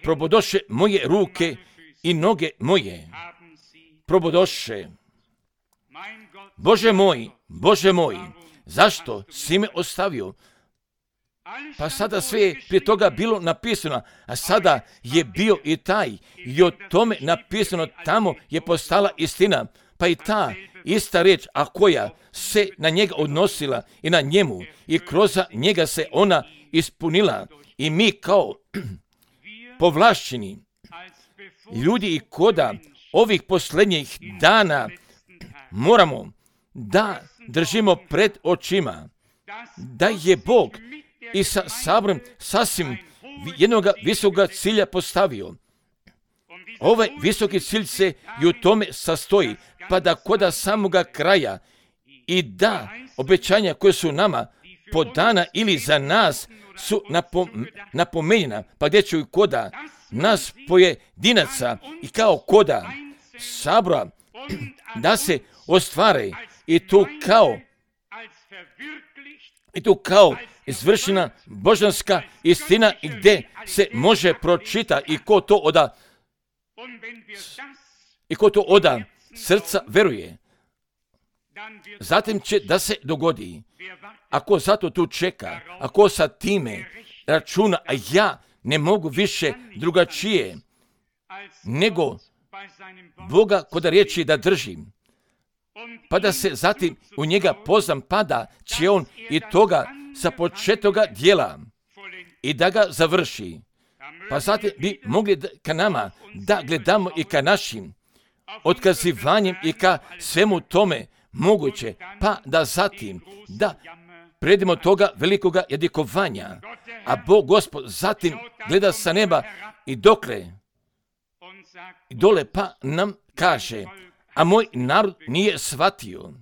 probodoše moje ruke i noge moje. Probodoše. Bože moj, zašto si me ostavio? Pa sada sve je prije toga bilo napisano, a sada je bio i taj i o tome napisano, tamo je postala istina, pa i ta ista reč, a koja se na njega odnosila i na njemu i kroz njega se ona ispunila i mi kao povlašćeni ljudi i koda ovih posljednjih dana moramo da držimo pred očima da je Bog i sa sabrom sasvim jednoga visokoga cilja postavio. Ovaj visoki cilj se i u tome sastoji, pa da koda samoga kraja i da obećanja koje su nama podana ili za nas su napomenjena, pa gdje će i koda nas pojedinaca i kao koda sabora da se ostvare i tu kao izvršena božanska istina i gdje se može pročita i ko to oda srca veruje. Zatim će da se dogodi. Ako zato tu čeka, ako sa time računa, a ja ne mogu više drugačije nego Boga kod riječi da držim, pa da se zatim u njega poznam, pa da će on i toga sa početoga djela i da ga završi. Pa zatim bi mogli ka nama da gledamo i ka našim otkazivanjem i ka svemu tome moguće, pa da zatim da predimo toga velikoga jadikovanja, a Bog Gospod zatim gleda sa neba i dokle i dole pa nam kaže, a moj narod nije shvatio.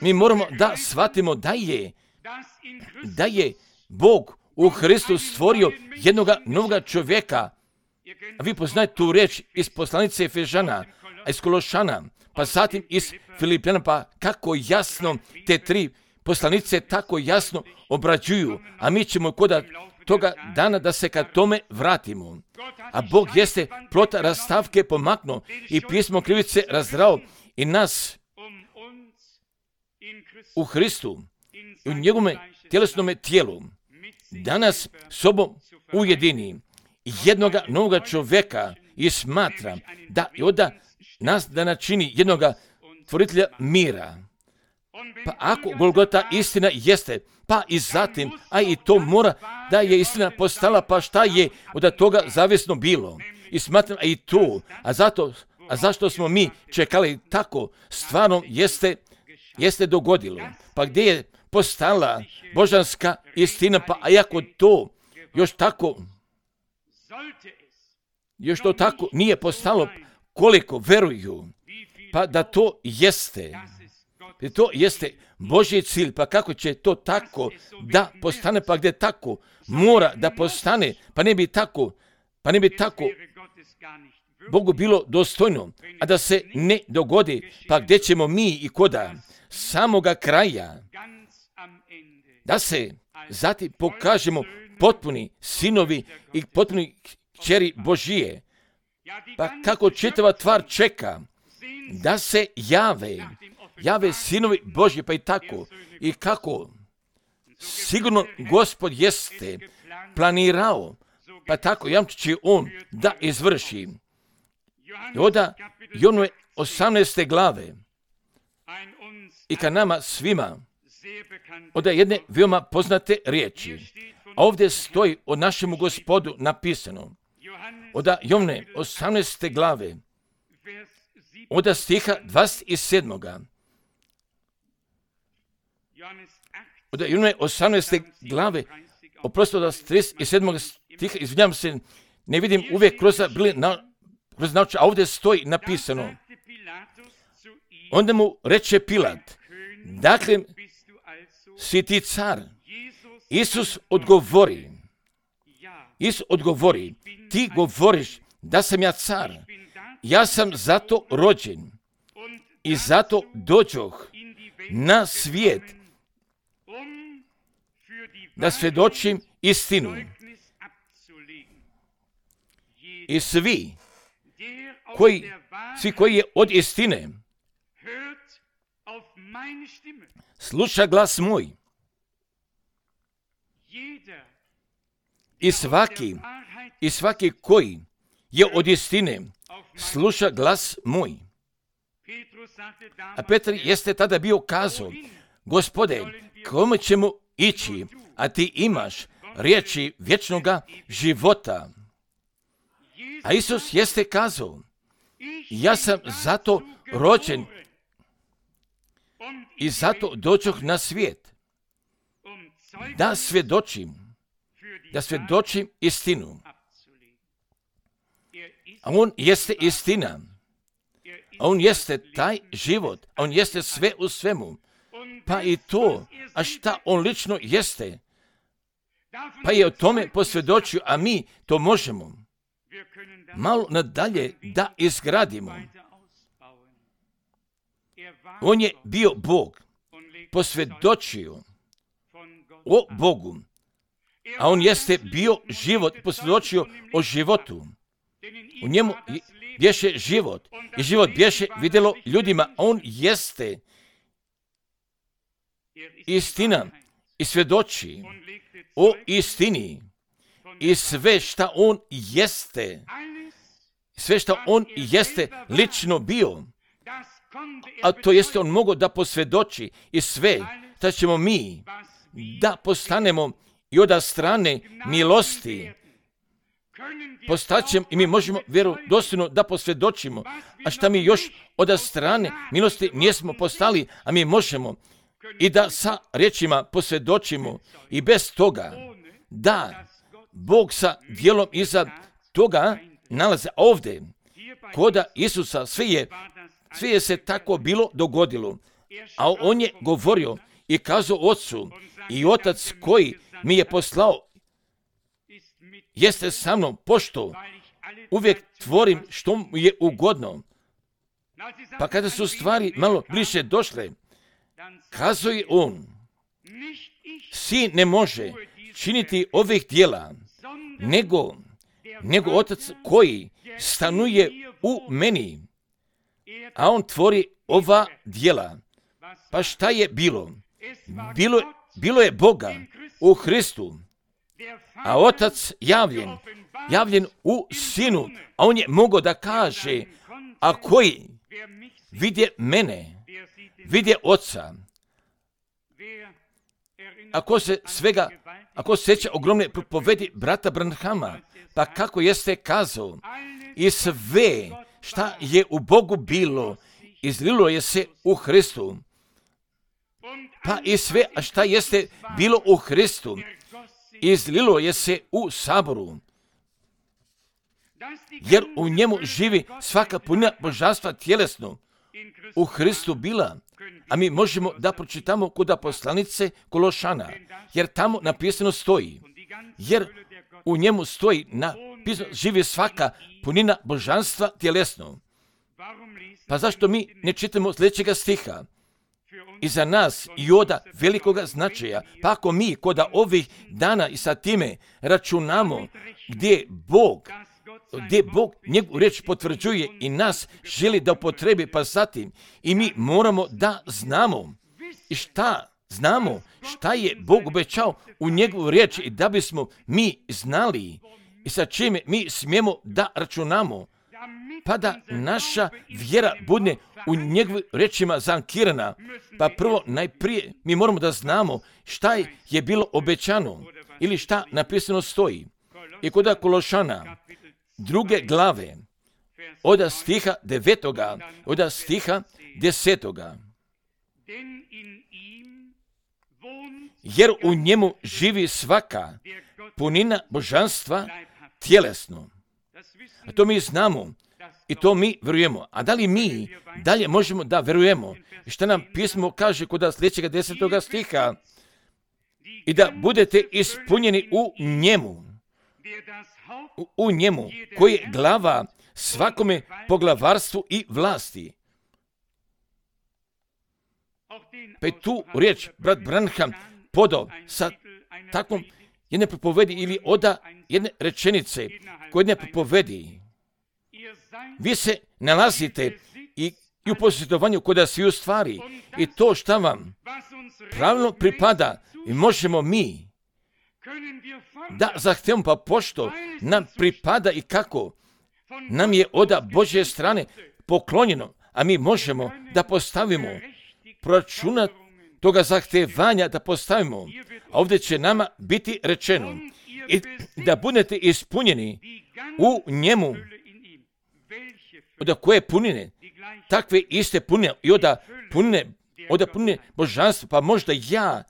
Mi moramo da shvatimo da je Bog u Hristu stvorio jednoga novoga čovjeka. A vi poznajete tu riječ iz poslanice Efežana, a iz Kološana, pa zatim iz Filipljana, pa kako jasno te tri poslanice tako jasno obrađuju, a mi ćemo kod toga dana da se ka tome vratimo. A Bog jeste plota rastavke pomaknuo i pismo krivice razdrao i nas u Hristu i u njegovome tjelesnome tijelu danas sobom ujedini jednoga novoga čovjeka i smatra da i oda nas da načini jednoga tvoritelja mira. Pa ako Golgota istina jeste, pa i zatim, a i to mora da je istina postala, pa šta je od toga zavisno bilo. I smatram, a i to, a zašto smo mi čekali tako, stvarno jeste dogodilo. Pa gdje je postala božanska istina, pa a ako to još to tako nije postalo, koliko veruju, pa da to jeste. To jeste Božji cilj, pa kako će to tako da postane, pa gdje tako mora da postane, pa ne bi tako Bogu bilo dostojno, a da se ne dogodi, pa gdje ćemo mi i koda samoga kraja, da se zatim pokažemo potpuni sinovi i potpuni kćeri Božije, pa kako čitava tvar čeka da se jave sinovi Božji, pa i tako, i kako sigurno Gospod jeste planirao, pa tako jamči će on da izvrši. I onda Jonove 18. glave i ka nama svima od jedne veoma poznate riječi. A ovdje stoji o našemu Gospodu napisano od Jonove 18. glave od stiha 27. Od Jonove 18. glave, oprosto od 37. stiha, izvinjam se, ne vidim uvijek kroz nauče, a ovdje stoji napisano. Onda mu reče Pilat, dakle, si ti car? Isus odgovori, ti govoriš da sam ja car, ja sam zato rođen i zato dođoh na svijet da svjedočim istinu. I svi koji je od istine sluša glas moj. I svaki koji je od istine sluša glas moj. A Petar jeste tada bio kazao, Gospode, kome ćemo ići, a ti imaš riječi vječnoga života. A Isus jeste kazao, ja sam zato rođen i zato dođoh na svijet, da svjedočim istinu. A on jeste istina. A on jeste taj život. A on jeste sve u svemu. Pa i to, a šta on lično jeste, pa je o tome posvjedočio, a mi to možemo malo nadalje da izgradimo. On je bio Bog, posvjedočio o Bogu, a on jeste bio život, posvjedočio o životu. U njemu bješe život i život bješe vidjelo ljudima, a on jeste istina i svjedoči o istini i sve šta on jeste, sve šta on jeste lično bio, a to jeste on mogao da posvjedoči i sve šta ćemo mi da postanemo i od strane milosti postaćemo i mi možemo vjerodostojno da posvjedočimo, a šta mi još od strane milosti nismo postali, a mi možemo i da sa riječima posvjedočimo i bez toga da Bog sa djelom iza toga nalaze ovdje. Koda Isusa sve je se tako bilo dogodilo, a on je govorio i kazao Otcu i Otac koji mi je poslao jeste sa mnom, pošto uvijek tvorim što mu je ugodno. Pa kada su stvari malo bliže došle, kazao je on, sin ne može činiti ovih djela, nego Otac koji stanuje u meni, a on tvori ova djela. Pa šta je bilo? Bilo je Boga u Hristu, a Otac javljen u Sinu, a on je mogao da kaže, a koji vidje mene, vidje Oca. Ako se sjeća ogromne propovedi brata Branhama, pa kako jeste kazao, i sve šta je u Bogu bilo, izlilo je se u Hristu. Pa i sve šta jeste bilo u Hristu, izlilo je se u saboru. Jer u njemu živi svaka punina božanstva tjelesno u Hristu bila. A mi možemo da pročitamo kod poslanice Kološana, jer tamo napisano stoji. Jer u njemu stoji napisano živi svaka punina božanstva tjelesno. Pa zašto mi ne čitamo sljedećega stiha? I za nas i oda velikoga značaja, pa ako mi kod ovih dana i sa time računamo gdje Bog njegovu riječ potvrđuje i nas želi da upotrebi, pa zatim i mi moramo da znamo i šta je Bog obećao u njegovu riječ i da bismo mi znali i sa čime mi smijemo da računamo, pa da naša vjera bude u njegovim riječima zankirana. Pa prvo, najprije, mi moramo da znamo šta je bilo obećano ili šta napisano stoji. I kod Kološana, 2. glave, od stiha 9. od stiha 10. Jer u njemu živi svaka punina božanstva tjelesno. A to mi znamo i to mi vjerujemo. A da li mi dalje možemo da vjerujemo? I šta nam pismo kaže kod sljedećeg 10. stiha? I da budete ispunjeni u njemu, koji je glava svakome poglavarstvu i vlasti. Pa je tu riječ brat Branham podao sa takvom jedne propovedi ili oda jedne rečenice koje jedne propovedi. Vi se nalazite i u posjetovanju kod svi u stvari i to šta vam pravilno pripada i možemo mi da zahtevamo, pa pošto nam pripada i kako nam je od Božje strane poklonjeno, a mi možemo da postavimo proračunat toga zahtevanja da postavimo. A ovdje će nama biti rečeno i da budete ispunjeni u njemu. Od koje punine? Takve iste punine i od punine božanstva, pa možda ja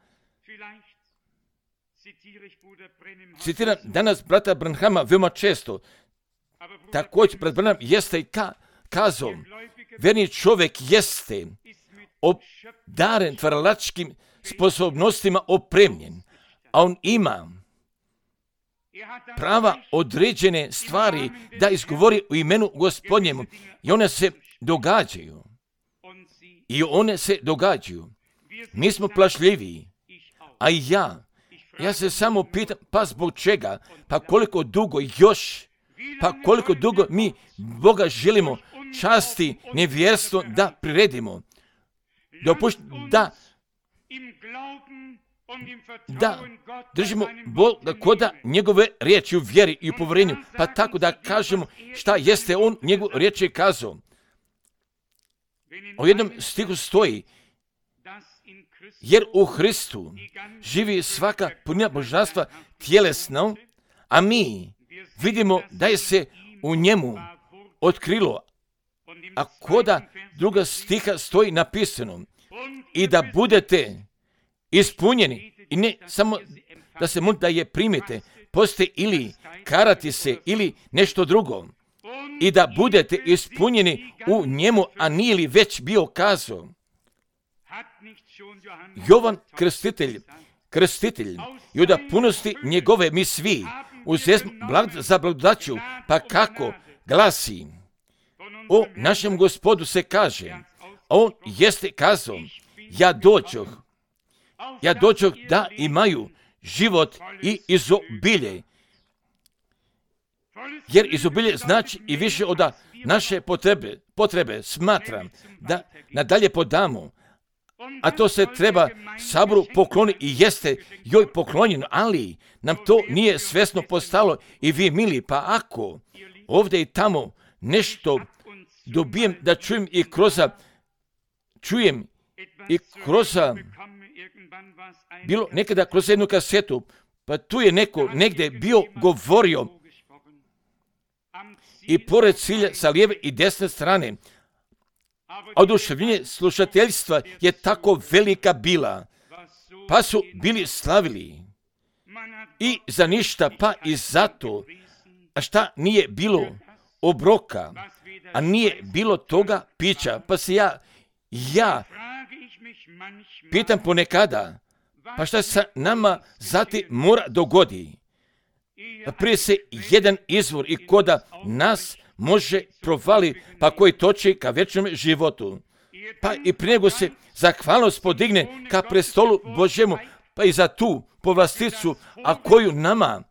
citiram danas brata Branhama veoma često, također pred Branham jeste i kazao, verni čovjek jeste obdaren tvaralačkim sposobnostima opremljen, a on ima prava određene stvari da izgovori u imenu Gospodnjemu i one se događaju. Mi smo plašljiviji, a i ja se samo pitam, pa zbog čega, pa koliko dugo mi Boga želimo časti nevjerstvo da priredimo, da držimo Boga koda njegove riječi u vjeri i u povjerenju, pa tako da kažemo šta jeste on njegovu riječ je kazao. U jednom stihu stoji, jer u Hristu živi svaka punina božanstva tjelesno, a mi vidimo da je se u njemu otkrilo, a koda druga stiha stoji napisano, i da budete ispunjeni, i ne samo da se molite da je primite, postoji ili karati se ili nešto drugo, i da budete ispunjeni u njemu, a nije li već bio kazao. Jovan krstitelj i od punosti njegove mi svi uzesmo za blagodaću, pa kako glasi, o našem Gospodu se kaže, on jeste kazao, ja dođoh da imaju život i izobilje. Jer izobilje znači i više od naše potrebe smatram da nadalje podamo, a to se treba saboru pokloniti i jeste joj poklonjeno, ali nam to nije svjesno postalo i vi mili, pa ako ovdje i tamo nešto dobijem da čujem i kroz bilo nekada kroz jednu kasetu, pa tu je neko negdje bio govorio i pored cilja sa lijeve i desne strane, oduševljenje slušateljstva je tako velika bila, pa su bili slavili i za ništa, pa i zato, a šta nije bilo obroka, a nije bilo toga pića, pa se ja pitam ponekada, pa šta se nama zatim mora dogodi? Pa prije se jedan izvor i koda nas može provali, pa koji toči ka večnom životu. Pa i prije nego se zahvalnost podigne ka prestolu Božjemu, pa i za tu povlasticu, a koju nama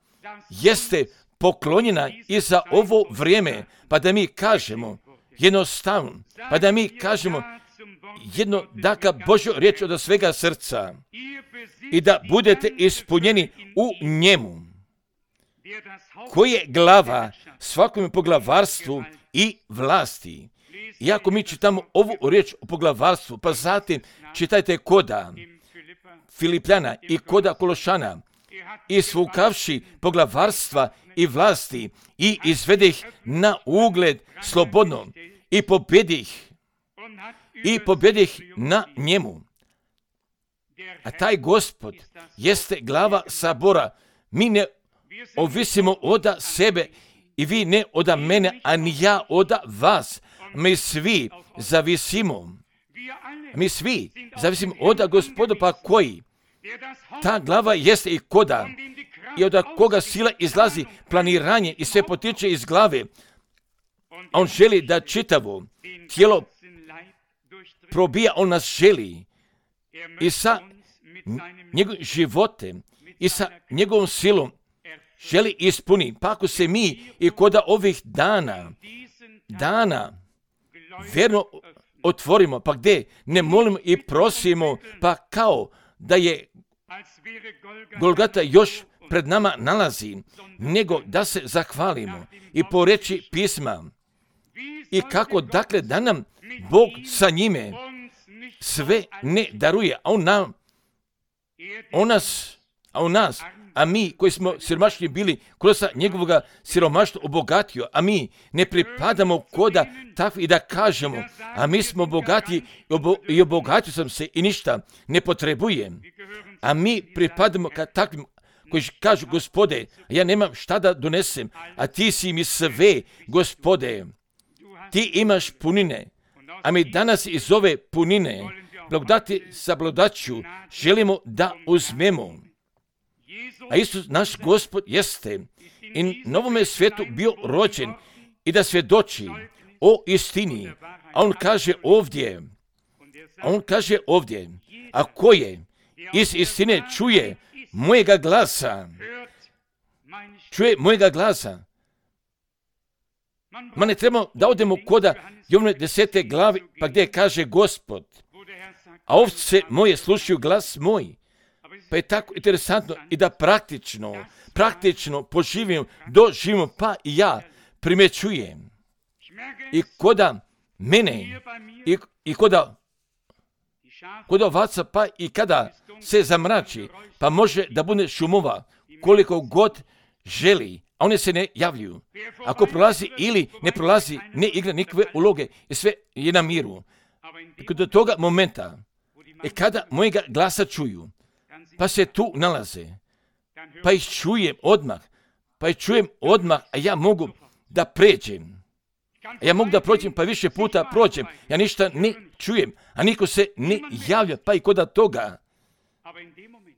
jeste poklonjena i za ovo vrijeme, pa da mi kažemo jednostavno, pa da mi kažemo jedno daka Božju riječ od svega srca i da budete ispunjeni u njemu, koji je glava svakom poglavarstvu i vlasti. Iako mi čitamo ovu riječ o poglavarstvu, pa zatim čitajte koda Filipljana i koda Kološana, i svukavši poglavarstva i vlasti i izvede ih na ugled slobodno i pobjedi ih na njemu. A taj Gospod jeste glava sabora. Mi ne ovisimo od sebe i vi ne od mene, a ni ja od vas. Mi svi zavisimo od Gospoda, pa koji? Ta glava jeste i koda, i od koga sila izlazi, planiranje i sve potiče iz glave. On želi da čitavo tijelo probija, on nas želi i sa njegovim životem i sa njegovom silom želi ispuni. Pa ako se mi i koda ovih dana vjerno otvorimo, pa gdje ne molimo i prosimo, pa kao da je Golgata još pred nama nalazi, nego da se zahvalimo i po reći pisma. I kako dakle da nam Bog sa njime sve ne daruje, a mi koji smo siromašni bili kroz njegovog siromaštva obogatio, a mi ne pripadamo koda takvi i da kažemo, a mi smo bogati i obogatio sam se i ništa ne potrebujem. A mi pripadamo ka takvim koji kažu, Gospode, ja nemam šta da donesem, a ti si mi sve, Gospode. Ti imaš punine, a mi danas iz ove punine, blagodati sa blagodaću, želimo da uzmemo. A Isus, naš Gospod, jeste i na ovome svijetu bio rođen i da svjedoči o istini. A on kaže ovdje, a ko je iz istine čuje mojega glasa, Ma ne trebamo da odemo koda Jovne 10. glavi, pa gdje kaže Gospod, a ovce moje slušaju glas moj. Pa je tako interesantno i da praktično doživimo, pa i ja primjećujem. I koda mene, i koda ovaca, pa i kada se zamrači, pa može da bude šumova koliko god želi, a one se ne javljaju. Ako prolazi ili ne prolazi, ne igra nikakve uloge i sve je na miru. Do toga momenta, kada mojega glasa čuju, pa se tu nalaze, pa ih čujem odmah, a ja mogu da pređem. Ja mogu da prođem, pa više puta prođem. Ja ništa ne čujem, a niko se ne javlja, pa i koda toga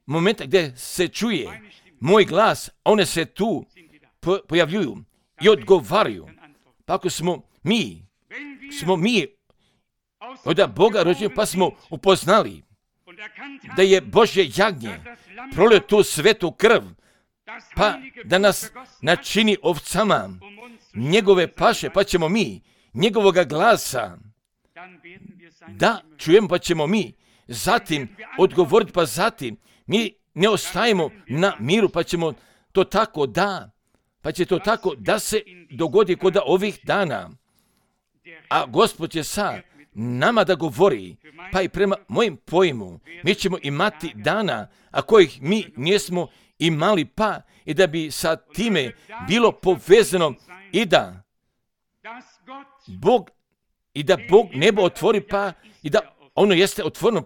momenta gdje se čuje moj glas, a one se tu pojavljuju i odgovaraju. Pa ako smo mi od Boga rođeni, pa smo upoznali da je Božje jagnje prolio tu svetu krv, pa da nas načini ovcama njegove paše, pa ćemo mi njegovoga glasa da čujemo, pa ćemo mi zatim odgovoriti, pa zatim mi ne ostajemo na miru, pa ćemo to tako da se dogodi kod ovih dana. A Gospod će sa nama da govori, pa i prema mojim pojmu, mi ćemo imati dana, a kojih mi nismo imali, pa i da bi sa time bilo povezano i da Bog nebo otvori, pa i da ono jeste otvoreno,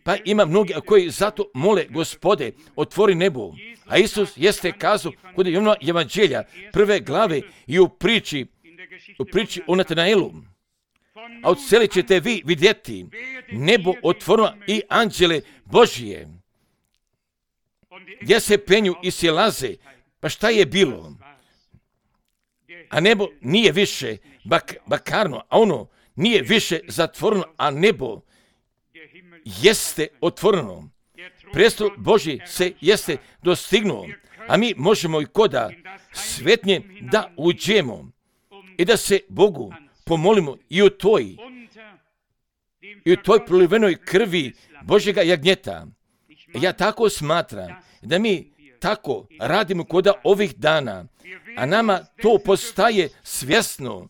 pa ima mnogi koji zato mole, Gospode, otvori nebo. A Isus jeste kazao kod Jovnova evanđelja 1. glave i u priči o Natanaelu. A od cele ćete vi vidjeti nebo otvoreno i anđele Božije, gdje se penju i silaze. Pa šta je bilo? A nebo nije više bakarno, a ono nije više zatvoreno, a nebo jeste otvoreno. Prestol Božji se jeste dostignuo, a mi možemo i koda svetnje da uđemo i da se Bogu pomolimo i u toj prolivenoj krvi Božjega jagnjeta. Ja tako smatram da mi tako radimo koda ovih dana, a nama to postaje svjesno,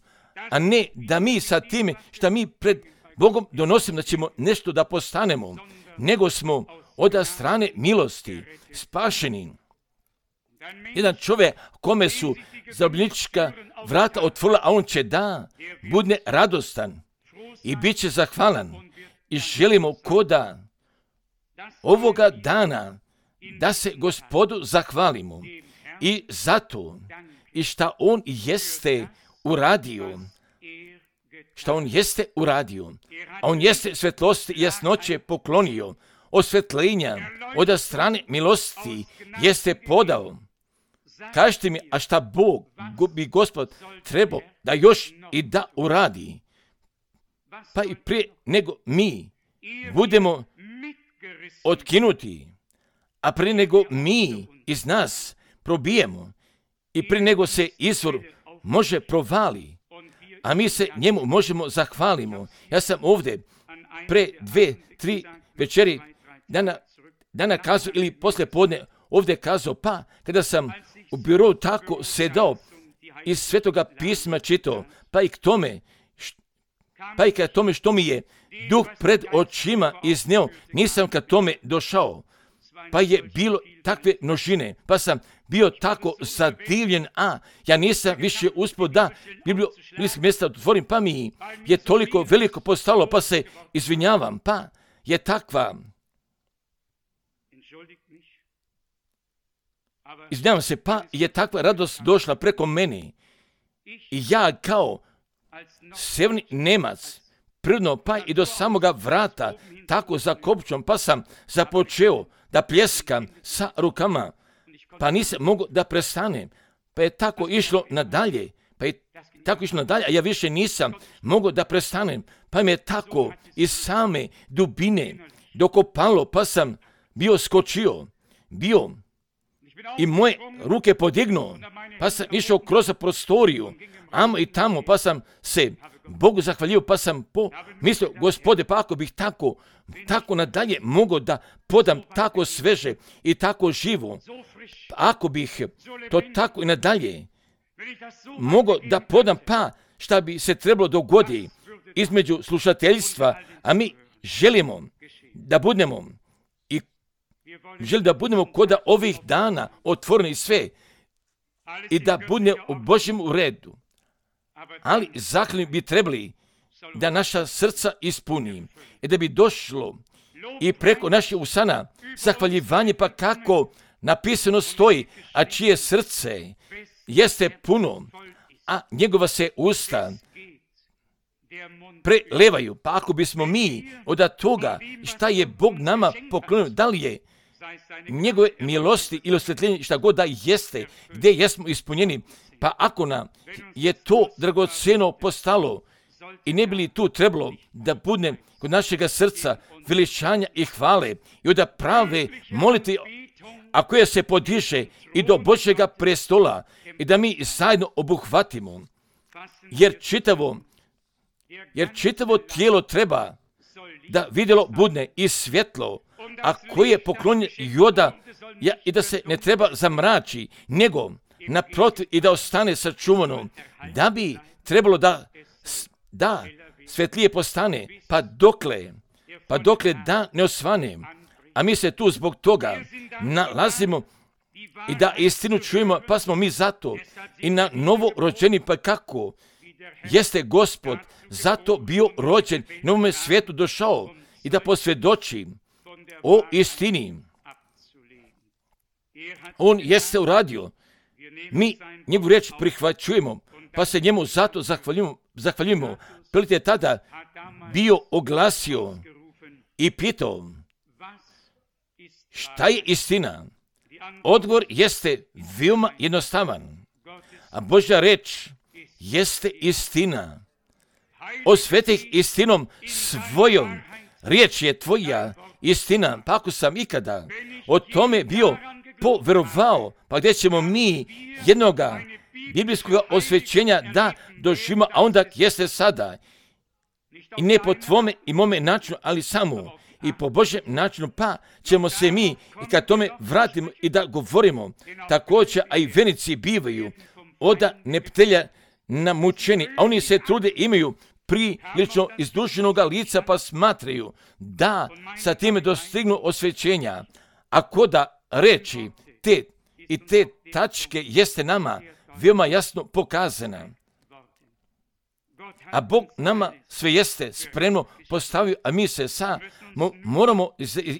a ne da mi sa time što mi pred Bogom donosimo da ćemo nešto da postanemo, nego smo od strane milosti spašeni. Jedan čovjek kome su zarobljenička vrata otvorila, a on će da bude radostan i bit će zahvalan. I želimo koda ovoga dana da se Gospodu zahvalimo i zato i šta on jeste uradio. A on jeste svetlosti i jasnoće poklonio, osvetljenja od strane milosti jeste podao. Kažite mi, a šta Bog bi Gospod trebao da još i da uradi? Pa i prije nego mi budemo otkinuti, a prije nego mi iz nas probijemo i prije nego se izvor može provali, a mi se njemu možemo zahvalimo. Ja sam ovdje pre 2-3 večeri dana kazao ili poslije podne ovdje kazao, pa kada sam u birovu tako sedao iz Svetoga pisma čitao, pa i ka tome što mi je Duh pred očima izneo, nisam ka tome došao. Pa je bilo takve množine, pa sam bio tako zadivljen, a ja nisam više uspio da biblijskih mjesta otvorim, pa mi je toliko veliko postalo, pa se izvinjavam, pa je takva. izvinjavam se, pa je takva radost došla preko meni. I ja kao severni Nemac, prirodno pa i do samoga vrata, tako za kopčom, pa sam započeo da pljeskam sa rukama, pa nisam mogao da prestanem, pa je tako išlo nadalje, a ja više nisam mogao da prestanem, pa mi je tako iz same dubine dokopalo, pa sam skočio i moje ruke podignuo, pa sam išao kroz prostoriju, amo i tamo, pa sam se Bogu zahvalio, pa sam mislio, Gospode, pa ako bih tako nadalje mogao da podam tako sveže i tako živo, ako bih to tako i nadalje mogao da podam, pa šta bi se trebalo dogoditi između slušateljstva, a mi želimo da budemo kod ovih dana otvoreni sve i da budemo u Božjem redu. Ali zahvalni bi trebali da naša srca ispuni i da bi došlo i preko naših usana zahvaljivanje, pa kako napisano stoji, a čije srce jeste puno, a njegova se usta prelevaju. Pa ako bismo mi od toga šta je Bog nama poklonio, da li je njegove milosti ili osvjetljenje, šta god da jeste, gdje jesmo ispunjeni, pa ako nam je to dragoceno postalo i ne bi li tu trebalo da bude kod našega srca veličanja i hvale i od prave molitve, a koja se podiže i do Božjega prestola i da mi zajedno obuhvatimo, jer čitavo tijelo treba da vidjelo budne i svjetlo, a koje je poklonjen joda i da se ne treba zamrači, nego naprotiv i da ostane sačuvano, da bi trebalo da svetlije postane, pa dokle da ne osvane. A mi se tu zbog toga nalazimo i da istinu čujemo, pa smo mi zato i na novo rođeni, pa kako jeste Gospod zato bio rođen, na ovome svijetu došao i da posvjedoči o istini. On jeste uradio. Mi njegovu riječ prihvaćujemo, pa se njemu zato zahvaljujemo. Pilat je tada bio oglasio i pitao, šta je istina? Odgovor jeste veoma jednostavan, a Božja reč jeste istina. Osvetih istinom svojom, riječ je tvoja istina. Pa ako sam ikada o tome bio poverovao, pa gdje ćemo mi jednoga biblijskog osvećenja da doživimo, a onda jeste sada. I ne po tvome i mome načinu, ali samo i po Božjem načinu, pa ćemo se mi i kad tome vratimo i da govorimo, također, a i venici bivaju od neptelja namučeni, a oni se trude, imaju prilično izdušenoga lica, pa smatraju da sa time dostignu osvećenja. Ako da reči te tačke jeste nama veoma jasno pokazana. A Bog nama sve jeste spremno postavio, a mi se moramo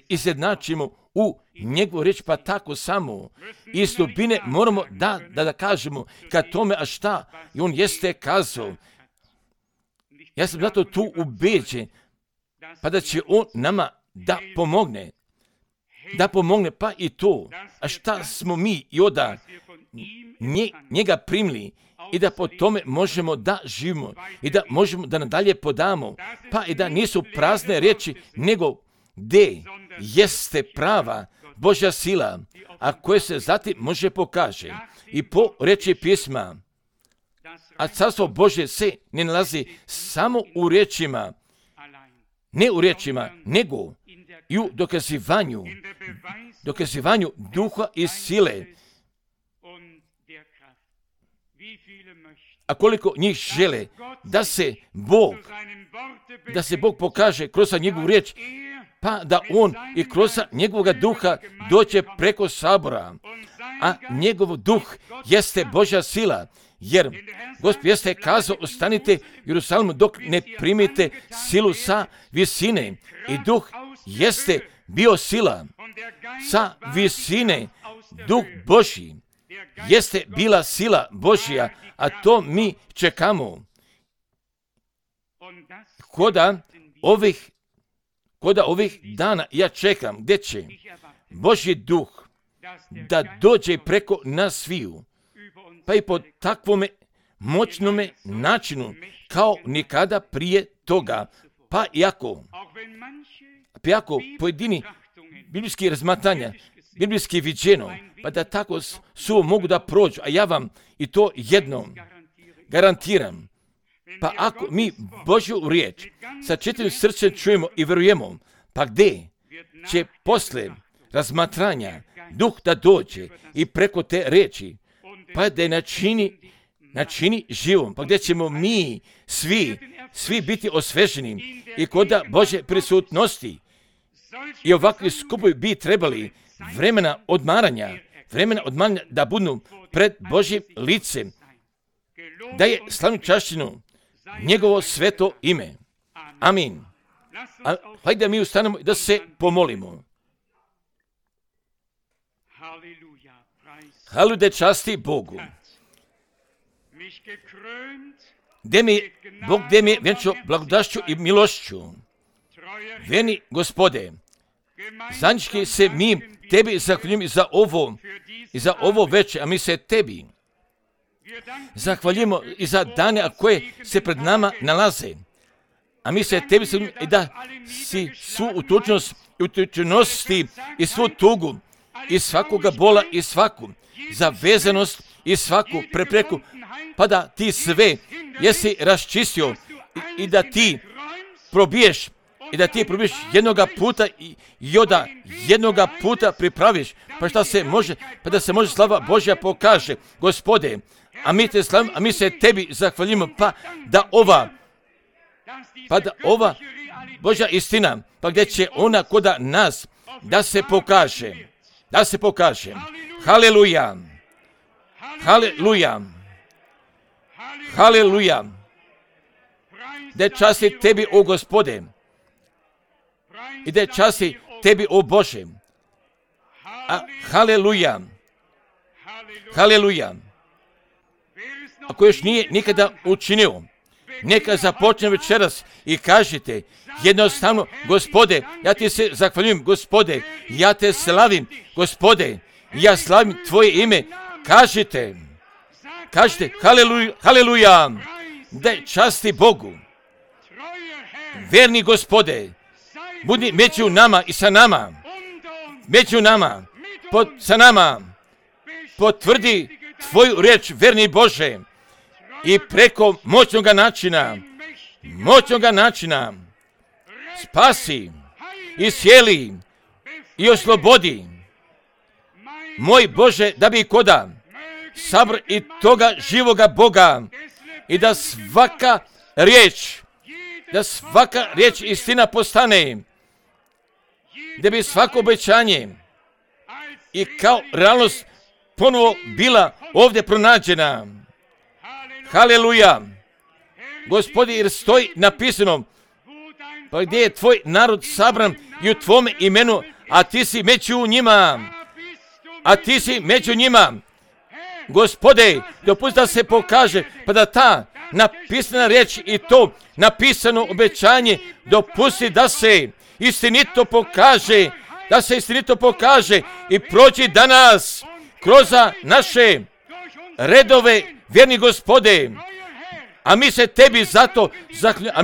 izjednačimo u njegovu riječ, pa tako samo iz dubine moramo da kažemo kad tome, a šta i on jeste kazao. Ja sam zato tu ubeđen, pa da će on nama da pomogne, pa i to, a šta smo mi i od njega primili i da po tome možemo da živimo i da možemo da nadalje podamo, pa i da nisu prazne riječi, nego gdje jeste prava Božja sila, a koje se zatim može pokaže i po reči pisma. A carstvo Božje se ne nalazi samo u riječima, ne u riječima, nego i u dokazivanju duha i sile. A koliko njih žele da se Bog pokaže kroz njegovu riječ, pa da on i kroz njegovog duha dođe preko sabora. A njegov duh jeste Božja sila, jer Gospod jeste kazao, ostanite u Jerusalimu dok ne primite silu sa visine. I duh jeste bio sila sa visine, Duh Božji jeste bila sila Božja, a to mi čekamo. Koda ovih dana ja čekam, gdje će Božji duh da dođe preko nas sviju, pa i po takvome moćnome načinu kao nikada prije toga. Pa iako pojedini biblijski razmatranja, biblijski viđeno, pa da tako su mogu da prođu, a ja vam i to jednom garantiram. Pa ako mi Božju riječ sa čitavim srcem čujemo i verujemo, pa gdje će posle razmatranja duh da dođe i preko te riječi, pa da je načini živom, pa gdje ćemo mi svi biti osveženi i kod Božje prisutnosti. I ovakvi skupovi bi trebali vremena odmaranja da budu pred Božjim licem, da je slavnu čašćinu njegovo sveto ime. Amin. Hajde da mi ustanemo da se pomolimo. Halude časti Bogu. Bog gdje mi je vjenčio blagodašću i milošću. Vjeni Gospode, zajednički se mi tebi zahvaljujemo i za ovo večer, a mi se tebi zahvaljujemo i za dane koje se pred nama nalaze. A mi se tebi zahvaljujemo i da si svu utučenosti i svu tugu i svakoga bola i svaku zavezanost i svaku prepreku, pa da ti sve jesi raščistio i da ti probiješ jednoga puta i da jednoga puta pripraviš, pa da se može slava Božja pokaže. Gospode, a mi te slavimo, a mi se tebi zahvaljujemo, pa da ova Božja istina, pa gdje će ona koda nas da se pokaže. Haleluja. Haleluja. Haleluja. Da časti tebi, o Gospode, i da časti tebi, o Bože. Haleluja. Haleluja. Ako još nije nikada učinio, neka započne večeras i kažete jednostavno: Gospode, ja ti se zahvaljujem, Gospode, ja te slavim, Gospode, ja slavim tvoje ime. Kažite, haleluja, haleluja, da časti Bogu. Verni Gospode, budi među nama i sa nama, sa nama, potvrdi tvoju riječ, verni Bože, i preko moćnoga načina, spasi, iscijeli i oslobodi. Moj Bože, da bi koda sabr i toga živoga Boga i da svaka riječ istina postane, da bi svako obećanje i kao realnost ponovo bila ovdje pronađena. Haleluja. Gospodi, jer stoji napisano, pa gdje je tvoj narod sabran i u tvome imenu, a ti si među njima. Gospode, dopusti da se pokaže, pa da ta napisana riječ i to napisano obećanje dopusti da se istinito pokaže, i prođi danas kroz naše redove, vjerni Gospode. A mi se tebi zato zahvaljujemo,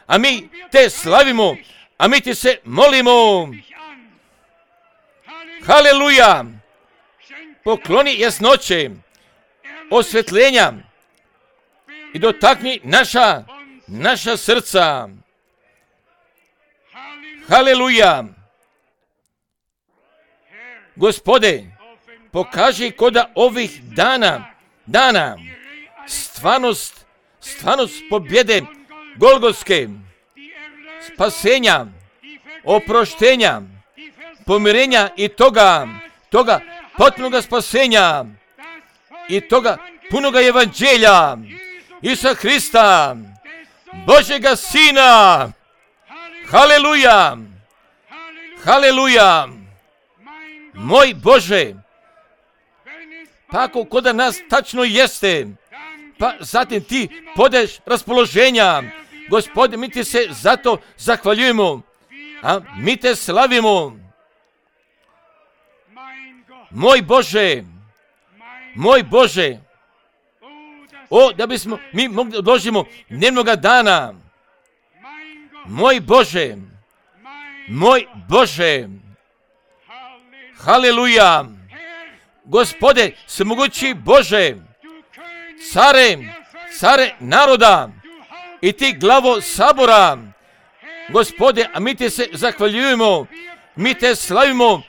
a mi te slavimo, a mi ti se molimo. Haleluja. Pokloni jasnoće, osvetljenja i dotakni naša srca. Haleluja. Gospode, pokaži koda ovih dana stvarnost pobjede Golgotske, spasenja, oproštenja, pomirenja i toga potpunoga spasenja i toga punoga evanđelja Isusa Hrista, Božega Sina. Haleluja. Haleluja. Moj Bože, Pa ako kod nas tačno jeste, pa zatim ti podeš raspoloženja. Gospode, mi ti se zato zahvaljujemo, a mi te slavimo. Moj Bože, o, da bismo mi mogli odložimo dnevnoga dana. Moj Bože, haleluja. Gospode, svemogući Bože, care naroda i ti glavo sabora, Gospode, a mi ti se zahvaljujemo, mi te slavimo,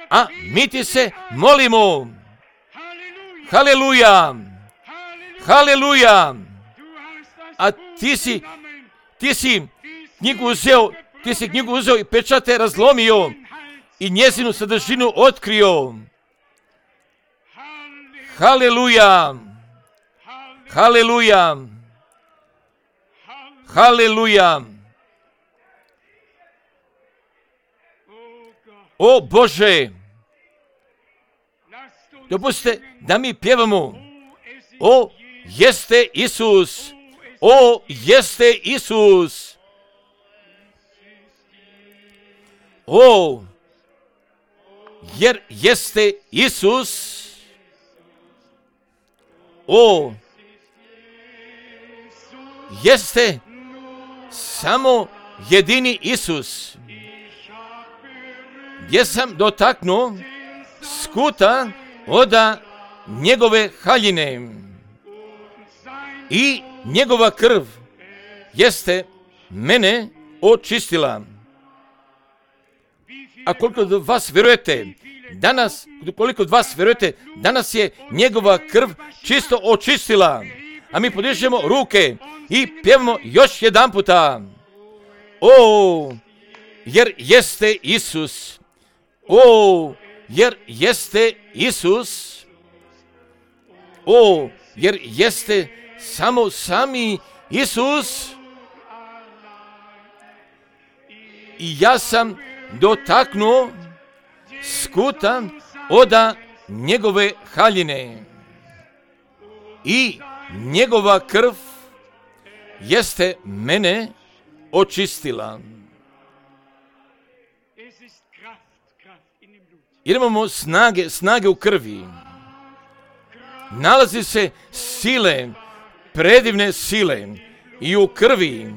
a mi ti se molimo. Haleluja, haleluja. A ti si knjigu uzeo i pečate razlomio i njezinu sadržinu otkrio. Haleluja, haleluja, haleluja. O Bože, dopustite da mi pjevamo. O, jeste Isus, o, jeste Isus. O, jer jeste Isus. O, jeste samo jedini Isus. Gdje sam dotaknuo skuta oda njegove haljine i njegova krv jeste mene očistila. A koliko od vas vjerujete danas je njegova krv čisto očistila. A mi podižemo ruke i pjevamo još jedan puta. O, jer jeste Isus. O, jer jeste Isus. O, jer jeste samo sami Isus. I ja sam dotaknuo skuta oda njegove haljine i njegova krv jeste mene očistila. Jer imamo snage u krvi. Nalazi se sile, predivne sile i u krvi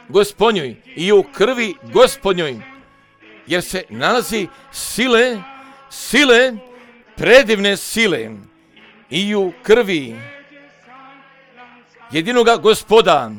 Gospodnjoj, i u krvi Gospodnjoj. Jer se nalazi sile, predivne sile i u krvi jedinoga Gospoda.